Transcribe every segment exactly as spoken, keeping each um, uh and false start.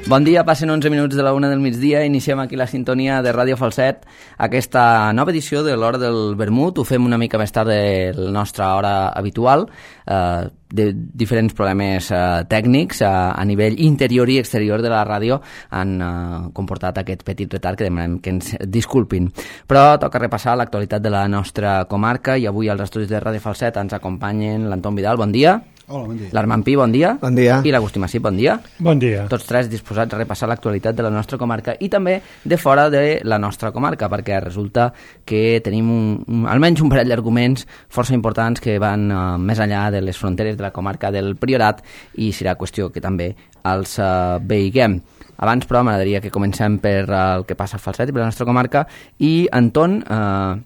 Bon dia, passen onze minuts de la una del migdia, iniciem aquí la sintonia de Ràdio Falset, aquesta nova edició de l'Hora del Vermut. Ho fem una mica més tard de la nostra hora habitual, eh, de diferents problemes eh, tècnics eh, a nivell interior i exterior de la ràdio han eh, comportat aquest petit retard que demanem que ens disculpin. Però toca repassar l'actualitat de la nostra comarca i avui als estudis de Ràdio Falset ens acompanyen l'Anton Vidal, bon dia. Hola, bon dia. L'Armand Pi, bon dia. Bon dia. I l'Agustí Massip, bon dia. Bon dia. Tots tres disposats a repassar l'actualitat de la nostra comarca i també de fora de la nostra comarca, perquè resulta que tenim un, un, almenys un parell d'arguments força importants que van uh, més enllà de les fronteres de la comarca del Priorat i serà qüestió que també els uh, veiguem. Abans, però, m'agradaria que comencem per uh, el que passa al Falset i per la nostra comarca i, Anton, uh,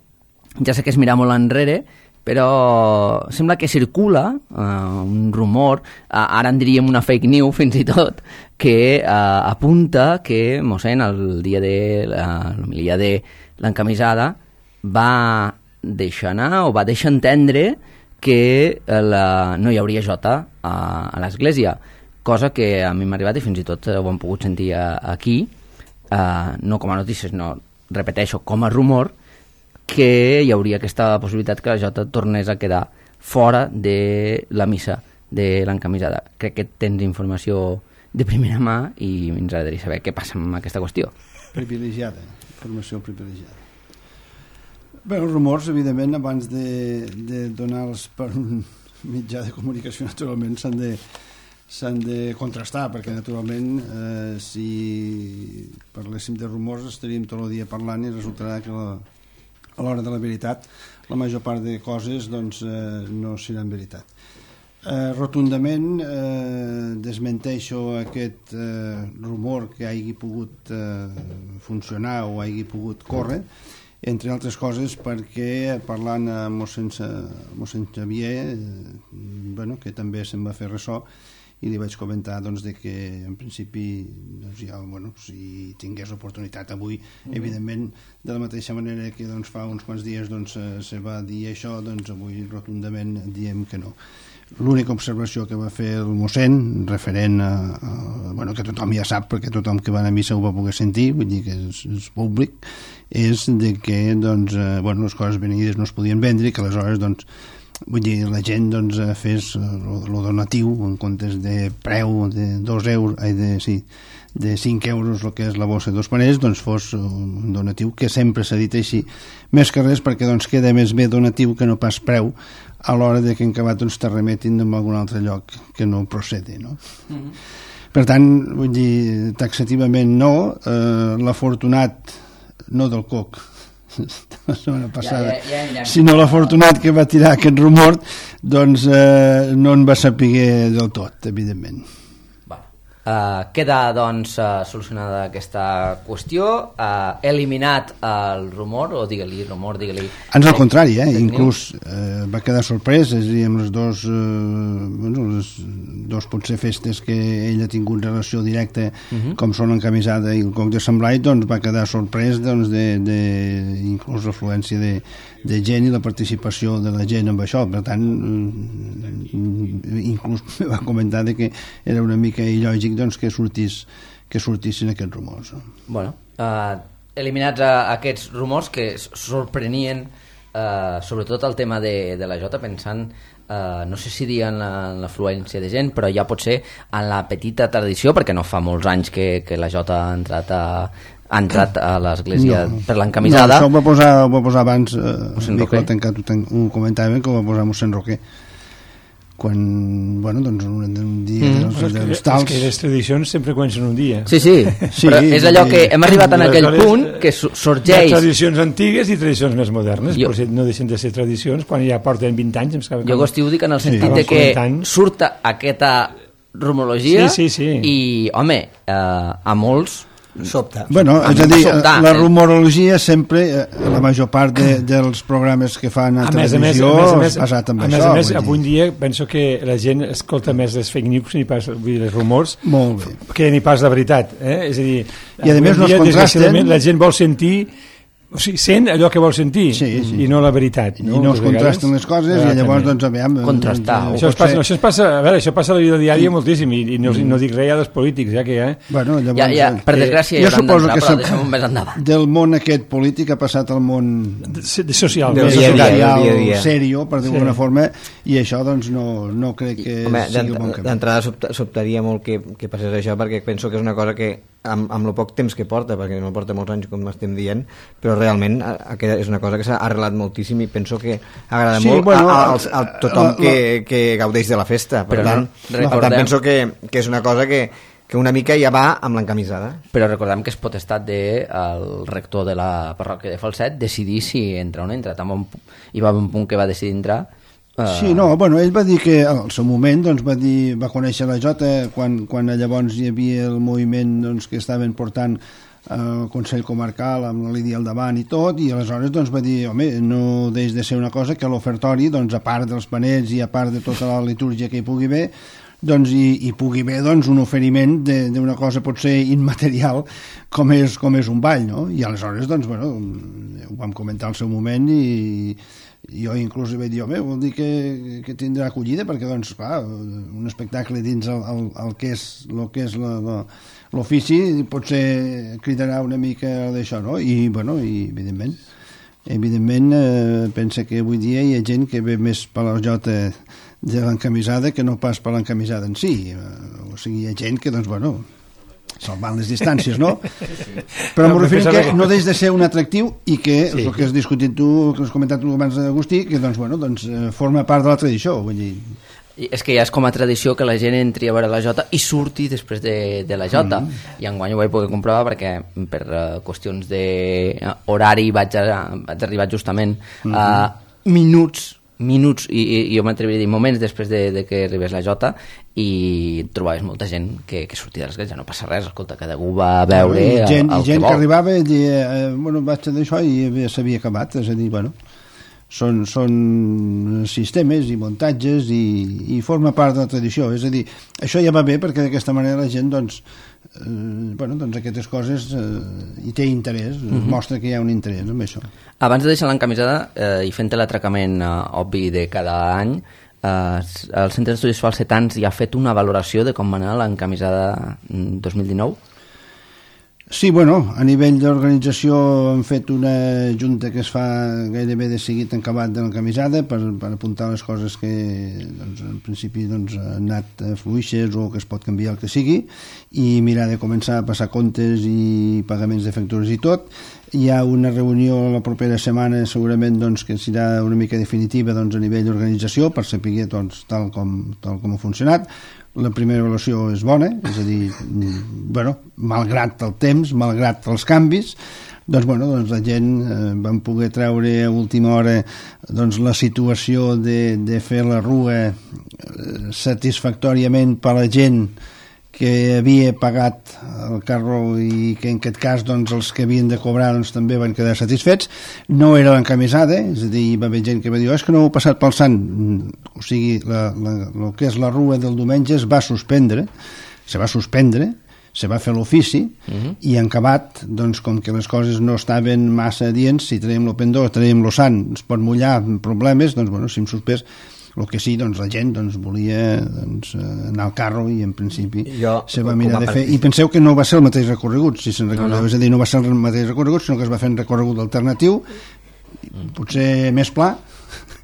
ja sé que és mirar molt enrere, però sembla que circula uh, un rumor, uh, ara en diríem una fake news fins i tot, que uh, apunta que mossèn el dia de uh, l'homilia de l'encamisada va deixar anar o va deixar entendre que la, no hi hauria jota a, a l'església, cosa que a mi m'ha arribat i fins i tot ho hem pogut sentir a, aquí, uh, no com a notícies, no, repeteixo, com a rumor, que hi hauria aquesta possibilitat que la jota tornés a quedar fora de la missa de l'encamisada. Crec que tens informació de primera mà i ens agradaria saber què passa amb aquesta qüestió. Privilegiada, informació privilegiada. Bé, els rumors, evidentment, abans de, de donar-los per un mitjà de comunicació, naturalment, s'han de, s'han de contrastar, perquè, naturalment, eh, si parléssim de rumors estaríem tot el dia parlant i resultarà que la a l'hora de la veritat, la major part de coses doncs, eh, no seran veritat. Eh, rotundament eh, desmenteixo aquest eh, rumor que hagi pogut eh, funcionar o hagi pogut córrer, entre altres coses perquè parlant amb mossèn, mossèn Xavier, eh, bueno, que també se'n va fer ressò, i li vaig comentar doncs, de que en principi doncs, ja, bueno, si tingués oportunitat avui, mm-hmm. evidentment de la mateixa manera que doncs, fa uns quants dies doncs, se va dir això, doncs avui rotundament diem que no. L'única observació que va fer el mossèn referent a, a bueno, que tothom ja sap perquè tothom que va a missa ho va poder sentir, vull dir que és, és públic, és de que doncs, eh, bueno, les coses venides no es podien vendre i que aleshores doncs, vull dir, la gent doncs, fes el donatiu en comptes de preu de dos euros, ai, de, sí, de cinc euros el que és la bossa de dos panells, doncs fos un donatiu que sempre s'ha dit així, més que res perquè doncs, queda més bé donatiu que no pas preu a l'hora de que en acabat doncs, te remetin en algun altre lloc que no procede, no? Mm-hmm. Per tant, vull dir, taxativament no, eh, l'afortunat no del coc la setmana passada, ja, ja, ja, ja. sinó l'afortunat que va tirar aquest rumor, doncs eh, no en va saber del tot, evidentment. Uh, queda doncs uh, solucionada aquesta qüestió, uh, eliminat el rumor, o digue-li rumor, digue-li... Ans al contrari, eh? inclús eh, va quedar sorprès, és a dir, amb les dos, eh, bueno, les dos potser festes que ell ha tingut relació directa, uh-huh. com són l'encamisada i el coc de Sant Blai, doncs va quedar sorprès doncs, de, de inclús l'afluència de, de gent i la participació de la gent amb això, per tant inclús va comentar que era una mica il·lògic doncs, que, sortís, que sortissin aquests rumors. No? Bueno, uh, eliminats uh, aquests rumors que sorprenien uh, sobretot el tema de, de la jota, pensant uh, no sé si dir en l'afluència de gent, però ja pot ser en la petita tradició, perquè no fa molts anys que, que la jota ha entrat a ha entrat a l'església no, per l'encamisada. No, això ho va posar, ho va posar abans eh, Mico ha tancat un comentari que ho va posar mossèn Roquer quan, bueno, doncs un, un dia mm. dels, dels, dels tals... És que les tradicions sempre comencen un dia. Sí, sí, sí però és allò que hem arribat en aquell punt que sorgeix... Hi ha tradicions antigues i tradicions més modernes, jo... però no deixen de ser tradicions quan ja porten vint anys. Em jo com... ho dic en el sentit sí. de que surt aquesta rumorologia sí, sí, sí. i, home, eh, a molts... Sobta. Bueno, és a dir, sobtar, la rumorologia sempre, la major part de, dels programes que fan a, a televisió és basat en a això. A més a més, avui dia penso que la gent escolta més les fake news ni pas les rumors Molt bé. que ni pas la veritat. Eh? És a dir, i a més no es contrasten. La gent vol sentir O sigui, sent allò que vol sentir sí, sí. i no la veritat. No? I no es contrasten les coses ah, i llavors, també. doncs, aviam... Contrastar. Això es passa, això es passa, a veure, això passa a la vida diària sí. moltíssim i, i no, no dic res ja dels polítics, ja que ja... Bueno, llavors, ja, ja, per desgràcia eh, ja hauran d'entrar, però deixem-ho més endavant. Del món aquest polític ha passat al món... De, de social. Del dia, social, dia, dia. Serio, per dir-ho d'alguna sí. forma, i això, doncs, no, no crec que Home, sigui un bon camí. D'entrada sobtaria molt que, que passés això, perquè penso que és una cosa que amb, amb el poc temps que porta, perquè no porta molts anys com estem dient, però realment és una cosa que s'ha arrelat moltíssim i penso que agrada sí, molt bueno, a, a, a, a tothom la, la, que, que gaudeix de la festa. Per però tant, no, per tant penso que, que és una cosa que, que una mica ja va amb l'encamisada. Però recordem que és potestat del de, rector de la parròquia de Falset decidir si entra o no entra. També hi va un punt que va decidir entrar. Uh... Sí, no, bueno, ell va dir que al seu moment doncs, va, dir, va conèixer la Jota quan, quan llavors hi havia el moviment doncs, que estaven portant el Consell Comarcal amb la Lídia al davant i tot, i aleshores doncs, va dir, home, no deix de ser una cosa que l'ofertori, doncs, a part dels panets i a part de tota la litúrgia que hi pugui haver, doncs hi, hi pugui haver doncs, un oferiment d'una cosa potser immaterial com és, com és un ball, no? I aleshores, doncs, bueno, ho vam comentar al seu moment i jo inclús vaig dir, home, vol dir que, que tindrà acollida, perquè, doncs, clar, un espectacle dins el, el, el que és el que és l'ofici potser cridarà una mica d'això, no? I, bueno, i evidentment, evidentment eh, pensa que avui dia hi ha gent que ve més per la jota de l'encamisada que no pas per l'encamisada en si. O sigui, hi ha gent que, doncs, bueno, salvant les distàncies, no? Però m'ho referim que no deix de ser un atractiu i que, sí. el que has discutit tu, que has comentat tu abans, Agustí, que doncs, bueno, doncs, forma part de la tradició, vull dir... I és que ja és com a tradició que la gent entri a veure la Jota i surti després de, de la Jota, mm. i enguany ho vaig poder comprovar perquè per uh, qüestions d'horari vaig, a, vaig arribar justament mm. a minuts minuts, i, i jo m'atreviria a dir moments després de, de que arribés la Jota, i trobaves molta gent que, que sortia de l'església, no passa res, escolta, cada un va a veure I gent, el, el i gent que, que arribava i deia, eh, bueno, vaig a d'això i s'havia acabat, és a dir, bueno, són, són sistemes i muntatges i, i forma part de la tradició, és a dir, això ja va bé perquè d'aquesta manera la gent, doncs, eh, bueno, doncs aquestes coses eh, hi té interès, mm-hmm. mostra que hi ha un interès amb això. Abans de deixar l'encamisada eh, i fent l'atracament eh, obvi de cada any, eh, el Centre d'Estudis Falsetans ja ha fet una valoració de com va anar l'encamisada dos mil dinou? Sí, bueno, a nivell d'organització hem fet una junta que es fa gairebé de seguit en acabat de l'encamisada per, per apuntar les coses que doncs, en principi doncs, han anat fluixes o que es pot canviar el que sigui, i mirar de començar a passar comptes i pagaments de factures i tot. Hi ha una reunió la propera setmana segurament doncs, que serà una mica definitiva doncs, a nivell d'organització per saber doncs, tal, com, tal com ha funcionat. La primera avaluació és bona, és a dir, bueno, malgrat el temps, malgrat els canvis, doncs, bueno, doncs la gent eh, van poder treure a última hora doncs, la situació de, de fer la rua eh, satisfactòriament per a la gent que havia pagat el carro i que en aquest cas doncs, els que havien de cobrar doncs, també van quedar satisfets. No era l'encamisada, és a dir, hi va haver gent que va dir oh, és que no heu passat pel sant, o sigui, la, la, el que és la rua del diumenge es va suspendre, se va suspendre, se va fer l'ofici, uh-huh. i en acabat, doncs, com que les coses no estaven massa adients, si traiem el pendó, traiem el sant, es pot mullar, problemes, doncs, bueno, si hem suspès, el que sí, doncs la gent doncs, volia doncs, anar al carro i en principi jo, se va mirar de fer, i penseu que no va ser el mateix recorregut, si se'n recordeu, no, no. és a dir, no va ser el mateix recorregut, sinó que es va fer un recorregut alternatiu, potser més pla,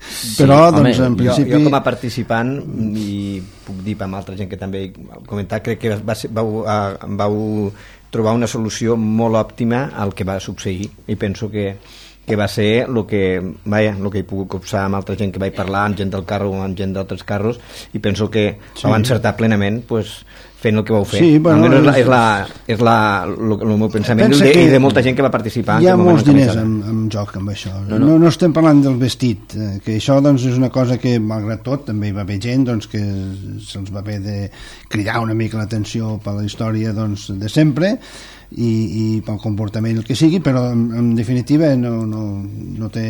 sí, però doncs home, en principi... Jo, jo com a participant, i puc dir amb altra gent que també he comentat, crec que va ser, vau, vau trobar una solució molt òptima al que va succeir, i penso que que va ser el que, vaja, el que he pogut copsar amb altra gent que vaig parlar, amb gent del carro o amb gent d'altres carros, i penso que sí. vau encertar plenament pues, fent el que vau fer. Sí, bueno, és, la, és, la, és la, el, el meu pensament i de, i de molta gent que va participar. Hi ha molts diners en, en joc amb això. No, no. No, no estem parlant del vestit, que això doncs, és una cosa que, malgrat tot, també hi va haver gent doncs, que se'ls va haver de cridar una mica l'atenció per la història doncs, de sempre. i, i pel comportament el que sigui, però en, en definitiva no, no, no té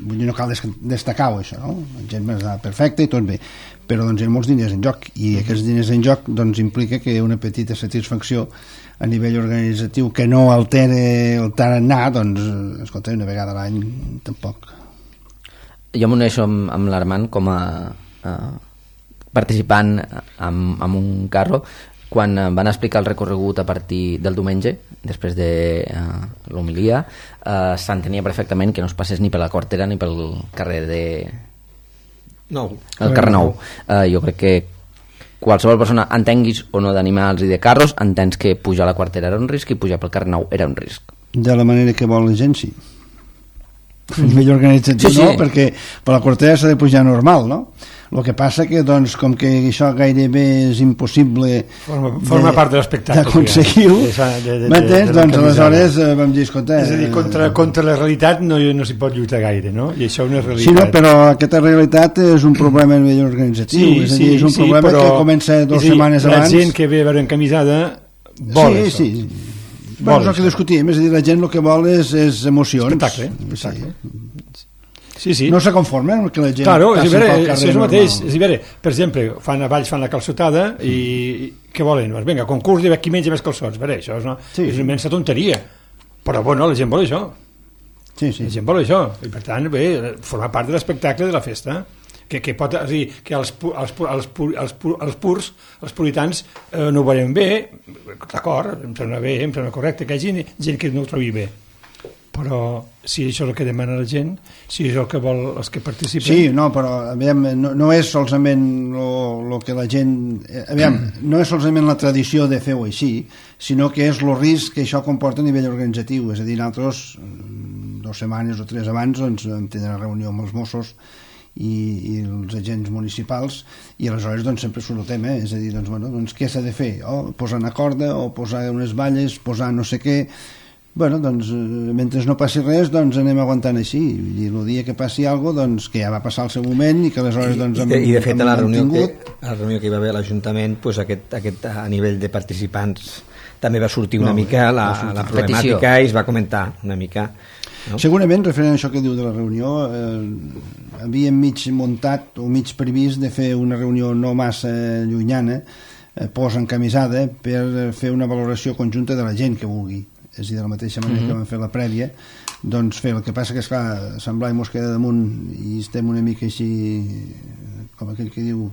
vull dir, no cal destacar-ho això, no? La gent està perfecta i tot bé, però doncs hi ha molts diners en joc i aquests diners en joc doncs implica que una petita satisfacció a nivell organitzatiu que no altere el tarannà, doncs escolta, una vegada a l'any tampoc. Jo m'uneixo amb, amb l'Armand com a, a participant amb, amb un carro quan van explicar el recorregut a partir del diumenge, després de uh, l'homilia, uh, s'entenia perfectament que no es passés ni per la Quartera ni pel carrer de... Nou. El carrer Nou. Uh, jo crec que qualsevol persona, entenguis o no d'animals i de carros, entens que pujar a la Quartera era un risc i pujar pel carrer Nou era un risc. De la manera que vol la gent, sí. A nivell organitzatiu sí, sí. No, perquè per la Quartera s'ha de pujar normal, no? El que passa que, doncs, com que això gairebé és impossible forma, forma de, part de l'espectacle d'aconseguir-ho, m'entens? Doncs aleshores eh, vam dir, escolta... És a dir, contra, contra la realitat no, no s'hi pot lluitar gaire, no? I això no és realitat. Sí, no, però aquesta realitat és un problema a nivell organitzatiu, sí, és a dir, és un sí, problema que comença dues dir, setmanes la abans... La gent que ve a veure encamisada vol sí, això. Sí, sí. Bueno, és el que discutim, és a dir, la gent el que vol és, és emocions. Espectacle, espectacle. Sí. Sí, sí. No se conformen amb que la gent claro, passi veure, pel carrer si és el mateix, normal. és veure, per exemple, fan a Valls fan la calçotada i, i què volen? Pues vinga, concurs de qui menja més calçots, veure, això és una, sí. és una immensa tonteria, però bueno, la gent vol això, sí, sí. la gent vol això, i per tant, bé, forma part de l'espectacle de la festa, que, que pot, és dir, que els, els, els, els, els purs, els puritans eh, no ho veuen bé, d'acord, em sembla bé, em sembla correcte, que hi hagi gent que no ho trobi bé, però si això és el que demana la gent, si és el que vol els que participen... Sí, no, però aviam, no, no és solament el que la gent... Aviam, no és solament la tradició de fer-ho així, sinó que és el risc que això comporta a nivell organitzatiu. És a dir, nosaltres, dues setmanes o tres abans, doncs, vam tenir una reunió amb els Mossos i, i els agents municipals i aleshores doncs, sempre surt el tema, eh? És a dir, doncs, bueno, doncs, què s'ha de fer? O posar una corda, o posar unes valles, posar no sé què... Bueno, doncs, mentre no passi res, doncs anem aguantant així. I el dia que passi alguna cosa, doncs, que ja va passar el seu moment i que aleshores, doncs, I, i de fet, a la reunió, que, a la reunió que hi va haver a l'Ajuntament, doncs, aquest, aquest, a nivell de participants també va sortir una no, mica la, la problemàtica petició. I es va comentar una mica. No? Segurament, referent a això que diu de la reunió, eh, havíem mig muntat o mig previst de fer una reunió no massa llunyana, eh, posa encamisada, per fer una valoració conjunta de la gent que vulgui. És a dir, de la mateixa manera mm-hmm. que vam fer la prèvia, doncs fer el que passa que, esclar, semblar i mos queda damunt i estem una mica així, com aquell que diu,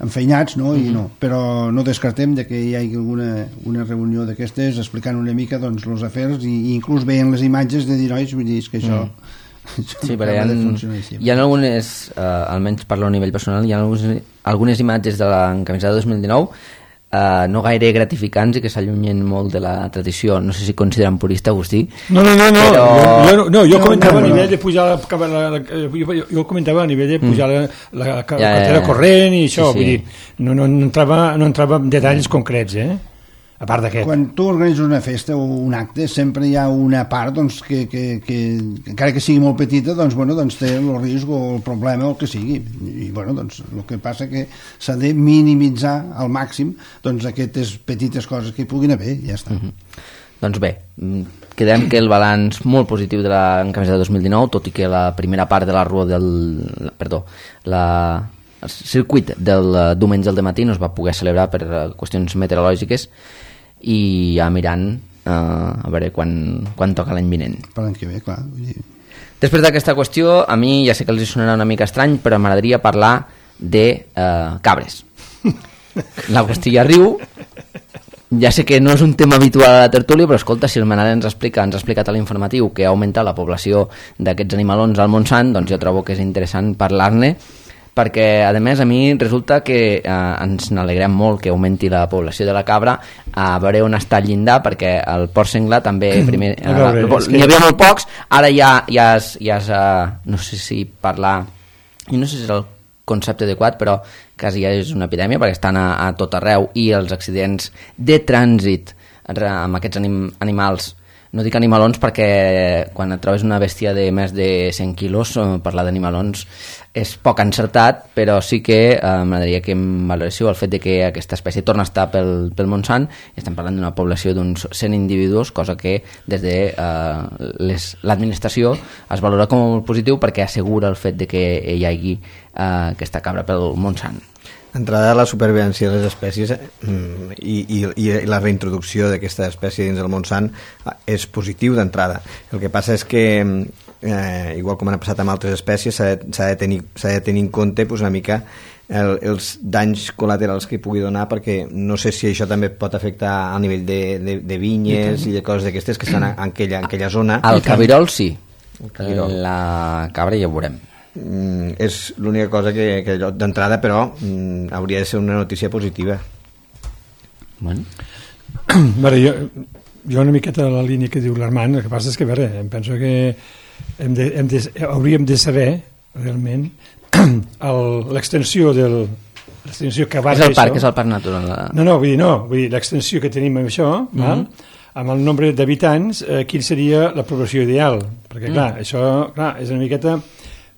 enfeinats, no? Mm-hmm. I no. Però no descartem de que hi hagi alguna una reunió d'aquestes explicant una mica doncs, els afers i, i inclús veient les imatges de dir, nois, vull dir, és que això... Mm. Sí, però hi ha, hi ha algunes, eh, almenys parlo a nivell personal, hi ha algunes, algunes imatges de l'encamisada dos mil dinou Uh, no gaire gratificants i que s'allunyen molt de la tradició. No sé si consideren purista, Agustí. No, no, no, no. Però... Jo, jo, no, jo no, comentava no, no. a nivell de pujar la, la, la, jo, jo comentava a nivell de pujar mm. la, la, la cartera ja, ja. corrent i això, sí, sí. Vull dir, no, no, no, entrava, no entrava en detalls concrets, eh? A part d'aquest. Quan tu organitzes una festa o un acte, sempre hi ha una part doncs, que, que, que, encara que sigui molt petita, doncs, bueno, doncs té el risc o el problema o el que sigui. I bueno, doncs, el que passa que s'ha de minimitzar al màxim doncs, aquestes petites coses que hi puguin haver, ja està. Mm-hmm. Doncs bé, quedem que el balanç molt positiu de l'encamisada dos mil dinou, tot i que la primera part de la rua del... Perdó, la... el circuit del diumenge al dematí no es va poder celebrar per qüestions meteorològiques i ja mirant uh, a veure quan, quan toca l'any vinent. Per l'any que ve, clar. Després d'aquesta qüestió, a mi ja sé que els sonarà una mica estrany, però m'agradaria parlar de uh, cabres. L'Agustí ja riu, ja sé que no és un tema habitual a la tertúlia, però escolta, si el Manel ens explica, ens ha explicat a l'informatiu que ha augmentat la població d'aquests animalons al Montsant, doncs jo trobo que és interessant parlar-ne, perquè a més a mi resulta que eh, ens n'alegrem molt que augmenti la població de la cabra, a veure on està el llindar, perquè el porc senglar també primer, eh, veure, n'hi que... havia molt pocs, ara ja, ja, es, ja es, eh, no sé si parlar, i no sé si és el concepte adequat, però quasi ja és una epidèmia perquè estan a, a tot arreu i els accidents de trànsit amb aquests anim, animals no dic animalons perquè quan et trobes una bèstia de més de cent quilos, parlar d'animalons és poc encertat, però sí que eh, m'agradaria que em valoréssiu el fet de que aquesta espècie torna a estar pel, pel Montsant, i estem parlant d'una població d'uns cent individus, cosa que des de eh, les, l'administració es valora com molt positiu perquè assegura el fet de que hi hagi eh, aquesta cabra pel Montsant. D'entrada, la supervivència de les espècies mm, i, i, i la reintroducció d'aquesta espècie dins del Montsant és positiu d'entrada. El que passa és que eh, igual com han passat amb altres espècies, s'ha de, s'ha de, tenir, s'ha de tenir en compte pues, una mica el, els danys col·laterals que pugui donar, perquè no sé si això també pot afectar a nivell de, de, de vinyes i de coses d'aquestes que estan en aquella, en aquella zona. El cabirol sí, el cabirol. La cabra ja ho veurem. Mm, és l'única cosa que, que d'entrada, però mm, hauria de ser una notícia positiva. Bueno. Veure, jo, jo una miqueta de la línia que diu l'Armand, el que passa és que, veure, em penso que hem de, hem de, hauríem de saber realment el, l'extensió del l'extensió que va és el parc, això, és el parc natural. no, no, vull dir, no, vull dir, l'extensió que tenim amb això, mm-hmm. val? Amb el nombre d'habitants, eh, quin seria la població ideal, perquè clar, mm. això clar, és una miqueta,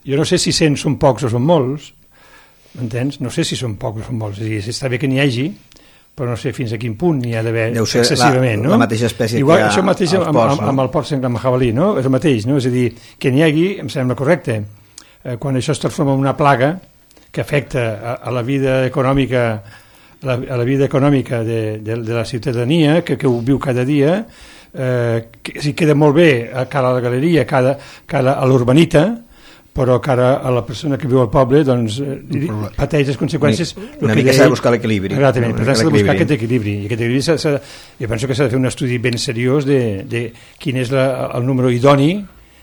jo no sé si cent són pocs o són molts, m'entens? No sé si són pocs o són molts, és a dir, està bé que n'hi hagi, però no sé fins a quin punt n'hi ha d'haver excessivament, la, no? la mateixa espècie igual, que això mateix als amb, porcs, amb, no? amb el porc senglar amb jabalí, no? És el mateix, no? És a dir, que n'hi hagi, em sembla correcte. Eh, quan això es transforma en una plaga que afecta a, a la vida econòmica a la, a la vida econòmica de, de, de la ciutadania, que, que ho viu cada dia, eh, que si queda molt bé a cara a la galeria, cara, cara a l'urbanita, però cara a la persona que viu al poble doncs eh, pateix les conseqüències. Una mica s'ha de buscar l'equilibri. Exactament, per tant s'ha de buscar aquest equilibri. I aquest equilibri s'ha, s'ha, jo penso que s'ha de fer un estudi ben seriós de, de quin és la, el número idoni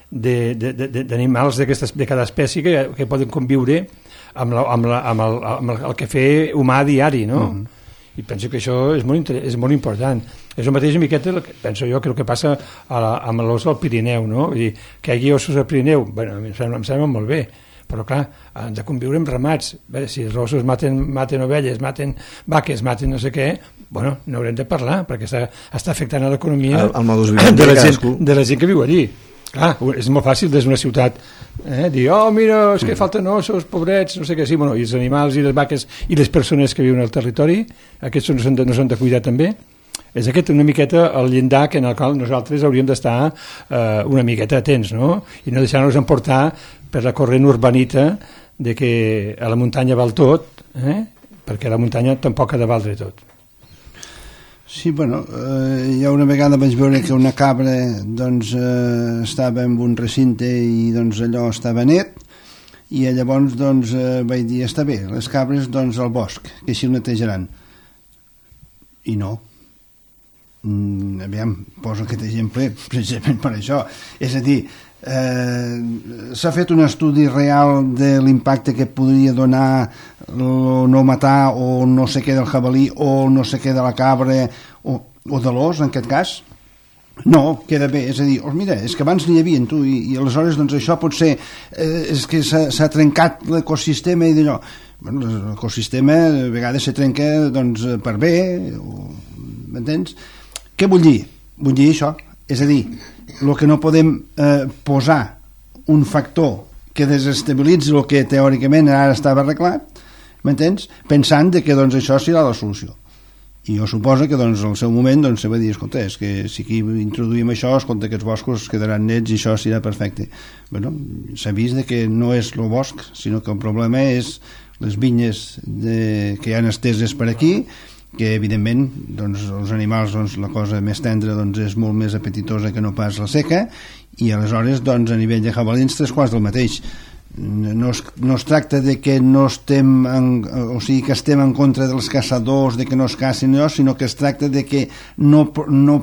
de, de, de, d'animals de cada espècie que, que poden conviure amb, la, amb, la, amb, el, amb el, el que fer humà diari, no? Mm-hmm. I penso que això és molt, és molt important. És el mateix miqueta, penso jo, que el que passa a la, amb l'os del Pirineu, no? Vull dir, que hi hagi ossos al Pirineu, bueno, em sembla, em sembla molt bé, però clar, han de conviure amb ramats. Bé, si els ossos maten, maten ovelles, maten vaques, maten no sé què, bueno, n'haurem de parlar, perquè està, està afectant a l'economia el, el modus vivendi de, la gent, de la gent que viu allí. Clar, és molt fàcil des d'una ciutat eh, dir, oh, mira, és que falten ossos, pobrets, no sé què, sí, bueno, i els animals i les vaques i les persones que viuen al territori, aquests no s'han de, no s'han de cuidar també. És aquest una miqueta el llindar en el qual nosaltres hauríem d'estar eh, una miqueta atents, no? I no deixar-nos emportar per la corrent urbanita de que a la muntanya val tot, eh? Perquè a la muntanya tampoc ha de valdre tot. Sí, bueno, eh, ja una vegada vaig veure que una cabra doncs, eh, estava en un recinte i doncs, allò estava net, i llavors doncs, eh, vaig dir, està bé, les cabres doncs, al bosc, que així el netejaran. I no. Mm, aviam, poso aquest exemple precisament per això. És a dir, eh, s'ha fet un estudi real de l'impacte que podria donar no matar o no sé què del jabalí o no sé què de la cabra o, o de l'os en aquest cas? No, queda bé, és a dir, oh, mira, és que abans n'hi havia tu i, i aleshores doncs això pot ser eh, és que s'ha, s'ha trencat l'ecosistema i d'allò. Bueno, l'ecosistema a vegades se trenca doncs, per bé o, m'entens? Què vull dir? Vull dir això, és a dir, el que no podem eh, posar un factor que desestabilitzi el que teòricament ara estava arreglat, m'entens? Pensant de que doncs, això serà la solució. I jo suposo que doncs, al seu moment doncs, se va dir, escolta, és que si aquí introduïm això, escolta, aquests boscos quedaran nets i això serà perfecte. Bueno, s'ha vist de que no és el bosc, sinó que el problema és les vinyes de, que hi ha esteses per aquí, que evidentment doncs, els animals doncs, la cosa més tendra doncs, és molt més apetitosa que no pas la seca, i aleshores doncs, a nivell de jabalins tres quarts del mateix. No es, no es tracta de que no estem en, o sigui que estem en contra dels caçadors, de que no es cacin allò, sinó que es tracta de que no, no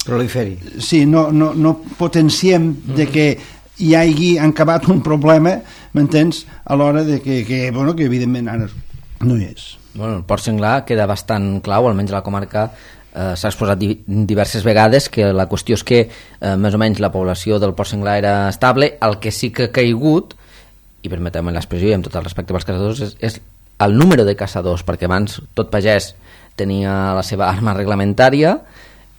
proliferi, sí, no, no, no potenciem de que hi hagi acabat un problema, m'entens, a l'hora de que, que, bueno, que evidentment ara no hi és. Bueno, el porc senglar queda bastant clau, almenys a la comarca eh, s'ha exposat di diverses vegades que la qüestió és que eh, més o menys la població del porc senglar era estable, el que sí que ha caigut, i permeteu-me l'expressió i amb tot el respecte pels caçadors, és, és el número de caçadors, perquè abans tot pagès tenia la seva arma reglamentària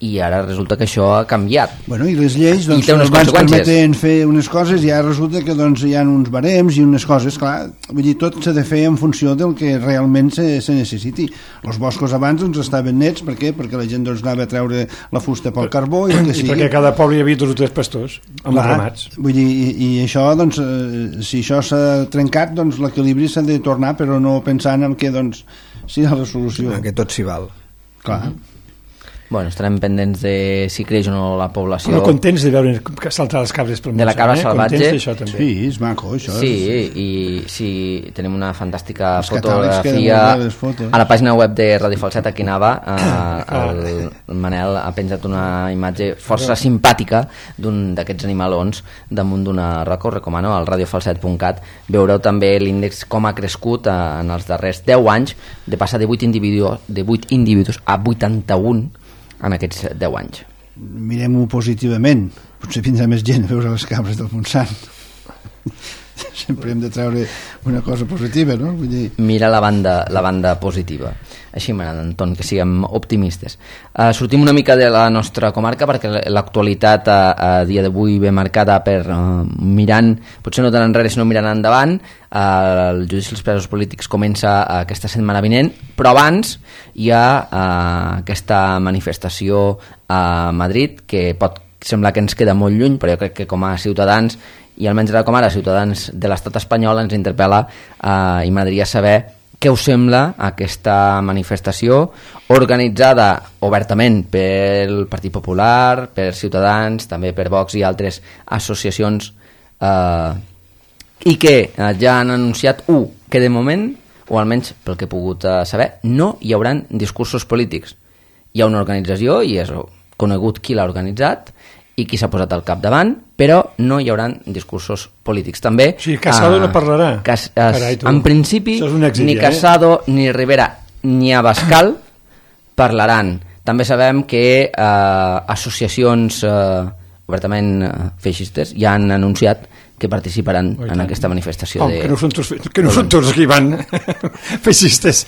i ara resulta que això ha canviat. Bueno, i les lleis doncs, I té unes abans conseqüències. permeten fer unes coses i ara resulta que doncs, hi ha uns barems i unes coses, clar, vull dir, tot s'ha de fer en funció del que realment se, se necessiti. Els boscos abans doncs, estaven nets, per què? Perquè la gent doncs, anava a treure la fusta pel carbó i el que I sigui. perquè a cada poble hi havia dos o tres pastors amb els ramats. Vull dir, i, i això, doncs, eh, si això s'ha trencat, doncs l'equilibri s'ha de tornar, però no pensant en què, doncs, sigui la resolució. Que tot s'hi val. Clar. Bueno, estarem pendents de si creix o no la població. Però contents de veure saltar les cabres pel De la cabra eh? salvatge. Contents d'això també. Sí, és maco, això. Sí, és... i sí, tenim una fantàstica Els catàlegs queden fotografia molt bé, les fotos. a la pàgina web de Radio Falset aquí anava, eh, el, el Manel ha penjat una imatge força simpàtica d'un d'aquests animalons damunt d'una roca. Us recomano al radio falset punt cat. Veureu també l'índex com ha crescut eh, en els darrers deu anys, de passar de vuit individus, de vuit individus a vuitanta-un en aquests deu anys. Mirem-ho positivament, potser vindrà més gent a veure les cabres del Montsant. Sempre hem de treure una cosa positiva, no? Vull dir... Mira la banda, la banda positiva. Així m'agrada, Anton, que siguem optimistes. Uh, sortim una mica de la nostra comarca perquè l'actualitat a, a dia d'avui ve marcada per uh, mirant, potser no tant enrere sinó mirant endavant. Uh, el judici dels presos polítics comença uh, aquesta setmana vinent, però abans hi ha uh, aquesta manifestació a Madrid que pot semblar que ens queda molt lluny, però jo crec que com a ciutadans i almenys ara com ara ciutadans de l'estat espanyol ens interpel·la uh, i m'agradaria saber què us sembla aquesta manifestació organitzada obertament pel Partit Popular, per Ciutadans, també per Vox i altres associacions eh, i que eh, ja han anunciat u, que de moment, o almenys pel que he pogut eh, saber, no hi hauran discursos polítics. Hi ha una organització i és conegut qui l'ha organitzat i qui s'ha posat al capdavant, però no hi haurà discursos polítics. També, o sigui, Casado uh, no parlarà. Cas, es, Carai, en principi, èxit, ni Casado, eh? ni Rivera, ni Abascal parlaran. També sabem que uh, associacions uh, obertament uh, feixistes ja han anunciat que participaran oh, en aquesta manifestació. Oh, de... que no són tots, que no són tots que hi van feixistes.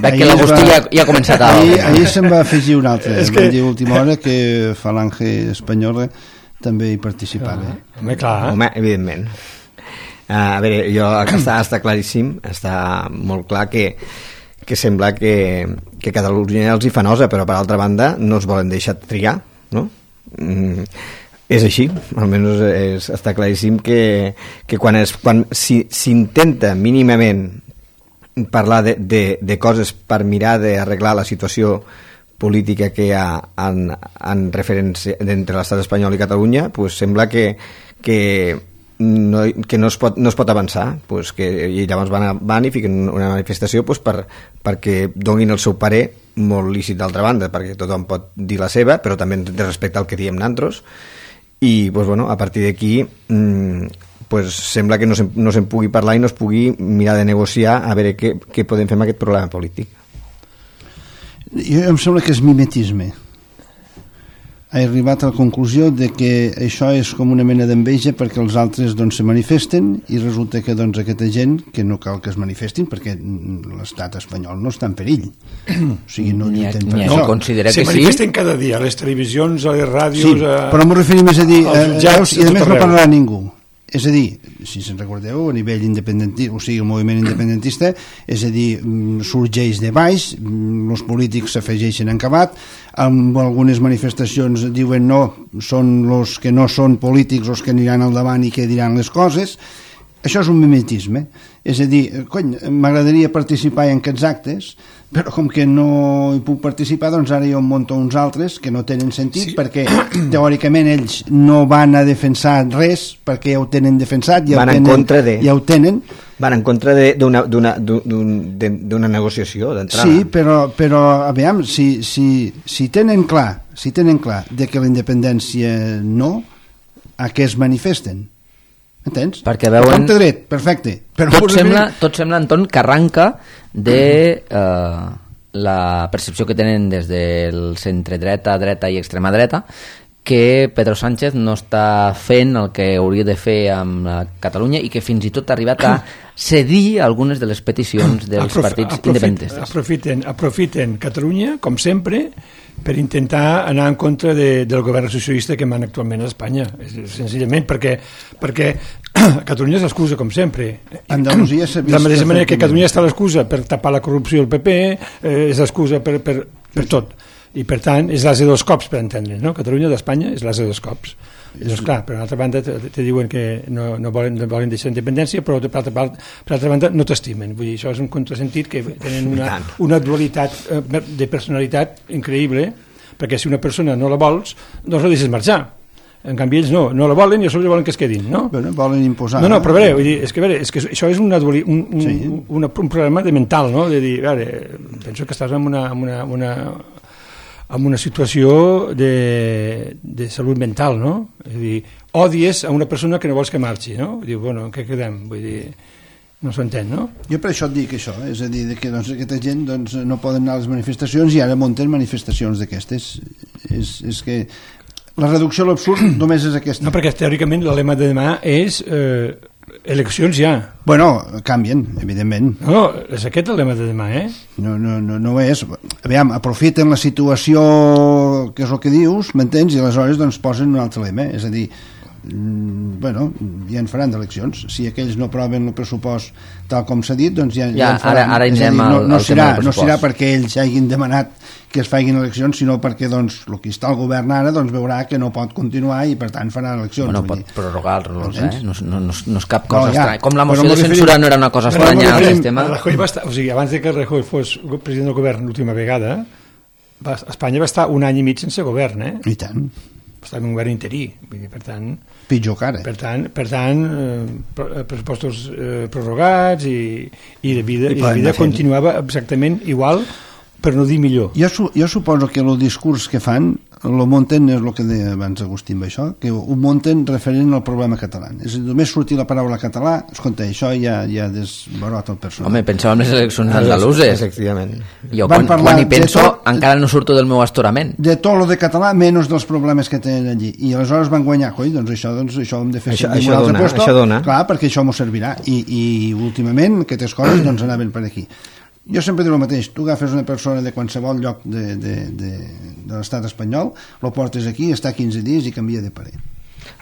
Veig que l'Agustí va... ja, ja ha començat a... Ahir, ahir se'n va afegir un altre. És que... que... Van dir a última hora que Falange Espanyola també hi participava. Ah, home, clar. Home, evidentment. Uh, a veure, jo, està, està claríssim, està molt clar que, que sembla que, que Catalunya els hi fa nosa, però per altra banda no es volen deixar triar, no? Mm, és així, almenys és, està claríssim que, que quan, es, quan si, s'intenta mínimament parlar de, de, de coses per mirar d'arreglar la situació política que hi ha en, en referència entre l'estat espanyol i Catalunya, pues sembla que, que, no, que no, es pot, no es pot avançar, pues que, i llavors van, a, van i fiquen una manifestació pues per, perquè donin el seu parer, molt lícit d'altra banda, perquè tothom pot dir la seva, però també de respecte al que diem nantros. I pues, bueno, a partir d'aquí mmm, pues, sembla que no se'n no se pugui parlar i no es pugui mirar de negociar a veure què, què podem fer amb aquest problema polític. Jo em sembla que és mimetisme. He arribat a la conclusió de que això és com una mena d'enveja perquè els altres doncs, se manifesten i resulta que doncs, aquesta gent, que no cal que es manifestin perquè l'estat espanyol no està en perill. O sigui, no lluiten per això. No, considera se que manifesten sí? cada dia a les televisions, a les ràdios... Sí, a... però m'ho referim a dir, als jutjats, i a més tot no arreu. parlarà ningú. És a dir, si se'n recordeu, a nivell independentista, o sigui, el moviment independentista, és a dir, sorgeix de baix, els polítics s'afegeixen en acabat, amb algunes manifestacions diuen no, són els que no són polítics els que aniran al davant i que diran les coses. Això és un mimetisme. És a dir, cony, m'agradaria participar en aquests actes, però com que no hi puc participar, doncs ara jo em monto uns altres que no tenen sentit, sí. Perquè teòricament ells no van a defensar res, perquè ja ho tenen defensat, ja, van ho, tenen, en contra de... ja ho tenen. Van en contra d'una d'una negociació d'entrada. Sí, però, però a veure, si, si, si tenen clar, si tenen clar de que la independència no, a què es manifesten? Entens? Perquè veuen... Compte dret, perfecte. Però tot, sembla, tot sembla, Anton, que arranca de eh, la percepció que tenen des del centre dreta, dreta i extrema dreta, que Pedro Sánchez no està fent el que hauria de fer amb la Catalunya i que fins i tot ha arribat a cedir algunes de les peticions dels Aprof partits aprofit independentistes. Aprofiten, aprofiten Catalunya, com sempre, per intentar anar en contra de, del govern socialista que mana actualment a Espanya. Senzillament perquè, perquè Catalunya és l'excusa, com sempre. Andalusia de la mateixa manera que Catalunya està l'excusa per tapar la corrupció del P P, eh, és l'excusa per, per, per tot. I per tant és l'as de dos cops, per entendre, no? Catalunya d'Espanya és l'as de dos cops. I doncs clar, per altra banda te, te diuen que no, no, volen, no volen deixar independència, però per altra, part, per altra banda no t'estimen. Vull dir, això és un contrasentit que tenen una, una dualitat de personalitat increïble, perquè si una persona no la vols, doncs la deixes marxar. En canvi ells no, no la volen i a sobre volen que es quedin, no? Bueno, volen imposar. No, no, però a veure, vull dir, és que, a veure, és que això és una duali, un, un, sí. un, un, un problema de mental, no? De dir, a veure, penso que estàs en una, en una, una amb una situació de, de salut mental, no? És a dir, odies a una persona que no vols que marxi, no? Diu, bueno, en què quedem? Vull dir, no s'entén, no? Jo per això et dic això, eh? És a dir, que doncs, aquesta gent doncs, no poden anar a les manifestacions i ara munten manifestacions d'aquestes. És, és que la reducció a l'absurd només és aquesta. No, perquè teòricament el lema de demà és eh, eleccions ja. Bueno, canvien, evidentment. No, és aquest el lema de demà, eh? No, no, no, no és. Aviam, aprofiten la situació, que és el que dius, m'entens? I aleshores doncs, posen un altre lema. És a dir, mm, bueno, ja en faran d'eleccions. Si aquells no aproven el pressupost tal com s'ha dit, doncs ja, ja, ja en faran. Ara, ara és a dir, no, al, no, al serà, no serà perquè ells hagin demanat que es facin eleccions, sinó perquè doncs, el que està al govern ara doncs, veurà que no pot continuar i per tant farà eleccions. Bueno, pot prorrogar-los, eh? No, no, no, no és cap cosa no, ja, estranya. Com la moció de censura no era una cosa estranya al sistema. Rajoy va estar, o sigui, abans de que Rajoy fos president del govern l'última vegada, va, Espanya va estar un any i mig sense govern, eh? I tant. Va estar en un govern interí, per tant... Pitjor que ara. Per tant, per tant eh, pressupostos eh, prorrogats i, i la vida, i la vida continuava exactament igual, per no dir millor. Jo, su jo suposo que el discurs que fan el munten, és el que deia abans Agustí amb això, que ho munten referent al problema català. És a dir, només sortir la paraula català, escolta, això ja, ja desbarota el personal. Home, pensava en les eleccions andaluses. Efectivament. Jo quan, quan hi penso tot, encara no surto del meu astorament. De tot lo de català, menys dels problemes que tenen allí. I aleshores van guanyar, coi, doncs això, doncs això ho hem de fer això, servir això un altre dona, puesto. Això dona. Clar, perquè això m'ho servirà. I, i últimament aquestes coses doncs anaven per aquí. Jo sempre dic el mateix, tu agafes una persona de qualsevol lloc de, de, de, de l'estat espanyol, lo portes aquí, està quinze dies i canvia de parer.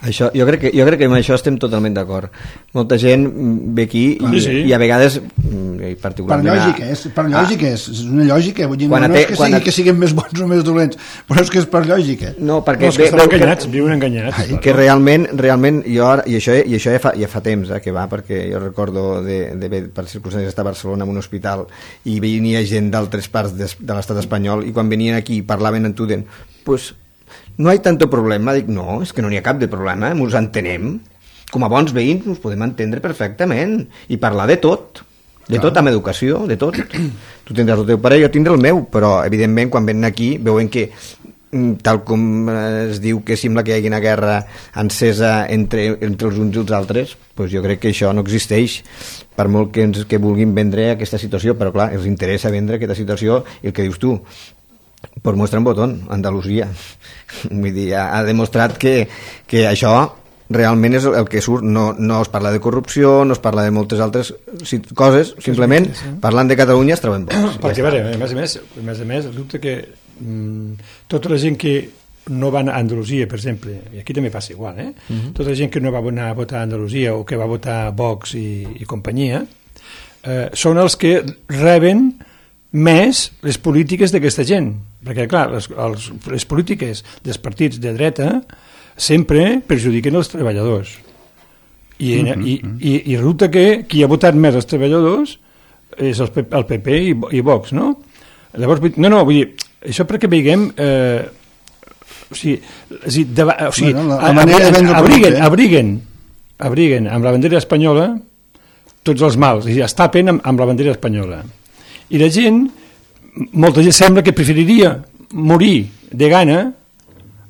Això, jo, crec que, jo crec que amb això estem totalment d'acord. Molta gent ve aquí i, sí, sí. i a vegades particularment... Per lògica, és, per lògica ah. és, és una lògica, vull dir, no, no és que sigui a... que siguin més bons o més dolents, però és que és per lògica. No, perquè... No, és que estan enganyats, que, viuen enganyats. Ai, que realment, realment jo, i això, i això ja, fa, ja fa temps eh, que va, perquè jo recordo de, de, de per circumstàncies estar a Barcelona en un hospital i venia gent d'altres parts de, de l'estat espanyol i quan venien aquí i parlaven en Tuden, pues no hi ha tanto problema. Dic, no, és que no n'hi ha cap de problema, ens entenem. Com a bons veïns ens podem entendre perfectament i parlar de tot, de Clar. tot amb educació, de tot. Tu tindràs el teu pare, jo tindré el meu, però evidentment quan venen aquí veuen que tal com es diu que sembla que hi hagi una guerra encesa entre, entre els uns i els altres, doncs jo crec que això no existeix, per molt que, ens, que vulguin vendre aquesta situació, però clar, els interessa vendre aquesta situació i el que dius tu, pues muestra un botón, Andalusia. Vull dir, ha, ha demostrat que, que això realment és el que surt, no, no es parla de corrupció, no es parla de moltes altres coses, simplement parlant de Catalunya es troben bons. Perquè, ja a més a més, a més a més, el dubte que mm, tota la gent que no va a Andalusia, per exemple, i aquí també passa igual, eh? Uh-huh. Tota la gent que no va anar a votar a Andalusia o que va votar Vox i, i companyia, eh, són els que reben més les polítiques d'aquesta gent, perquè clar, les, els, les polítiques dels partits de dreta sempre perjudiquen els treballadors i, mm -hmm. i, i, i resulta que qui ha votat més els treballadors és el, el P P i, i Vox, no? Llavors, no, no, vull dir, això perquè veiem eh, o sigui, o sigui, de, o sigui bueno, la, la abriguen, abriguen, abriguen abriguen amb la bandera espanyola tots els mals, i es tapen amb, amb la bandera espanyola. I la gent, molta gent sembla que preferiria morir de gana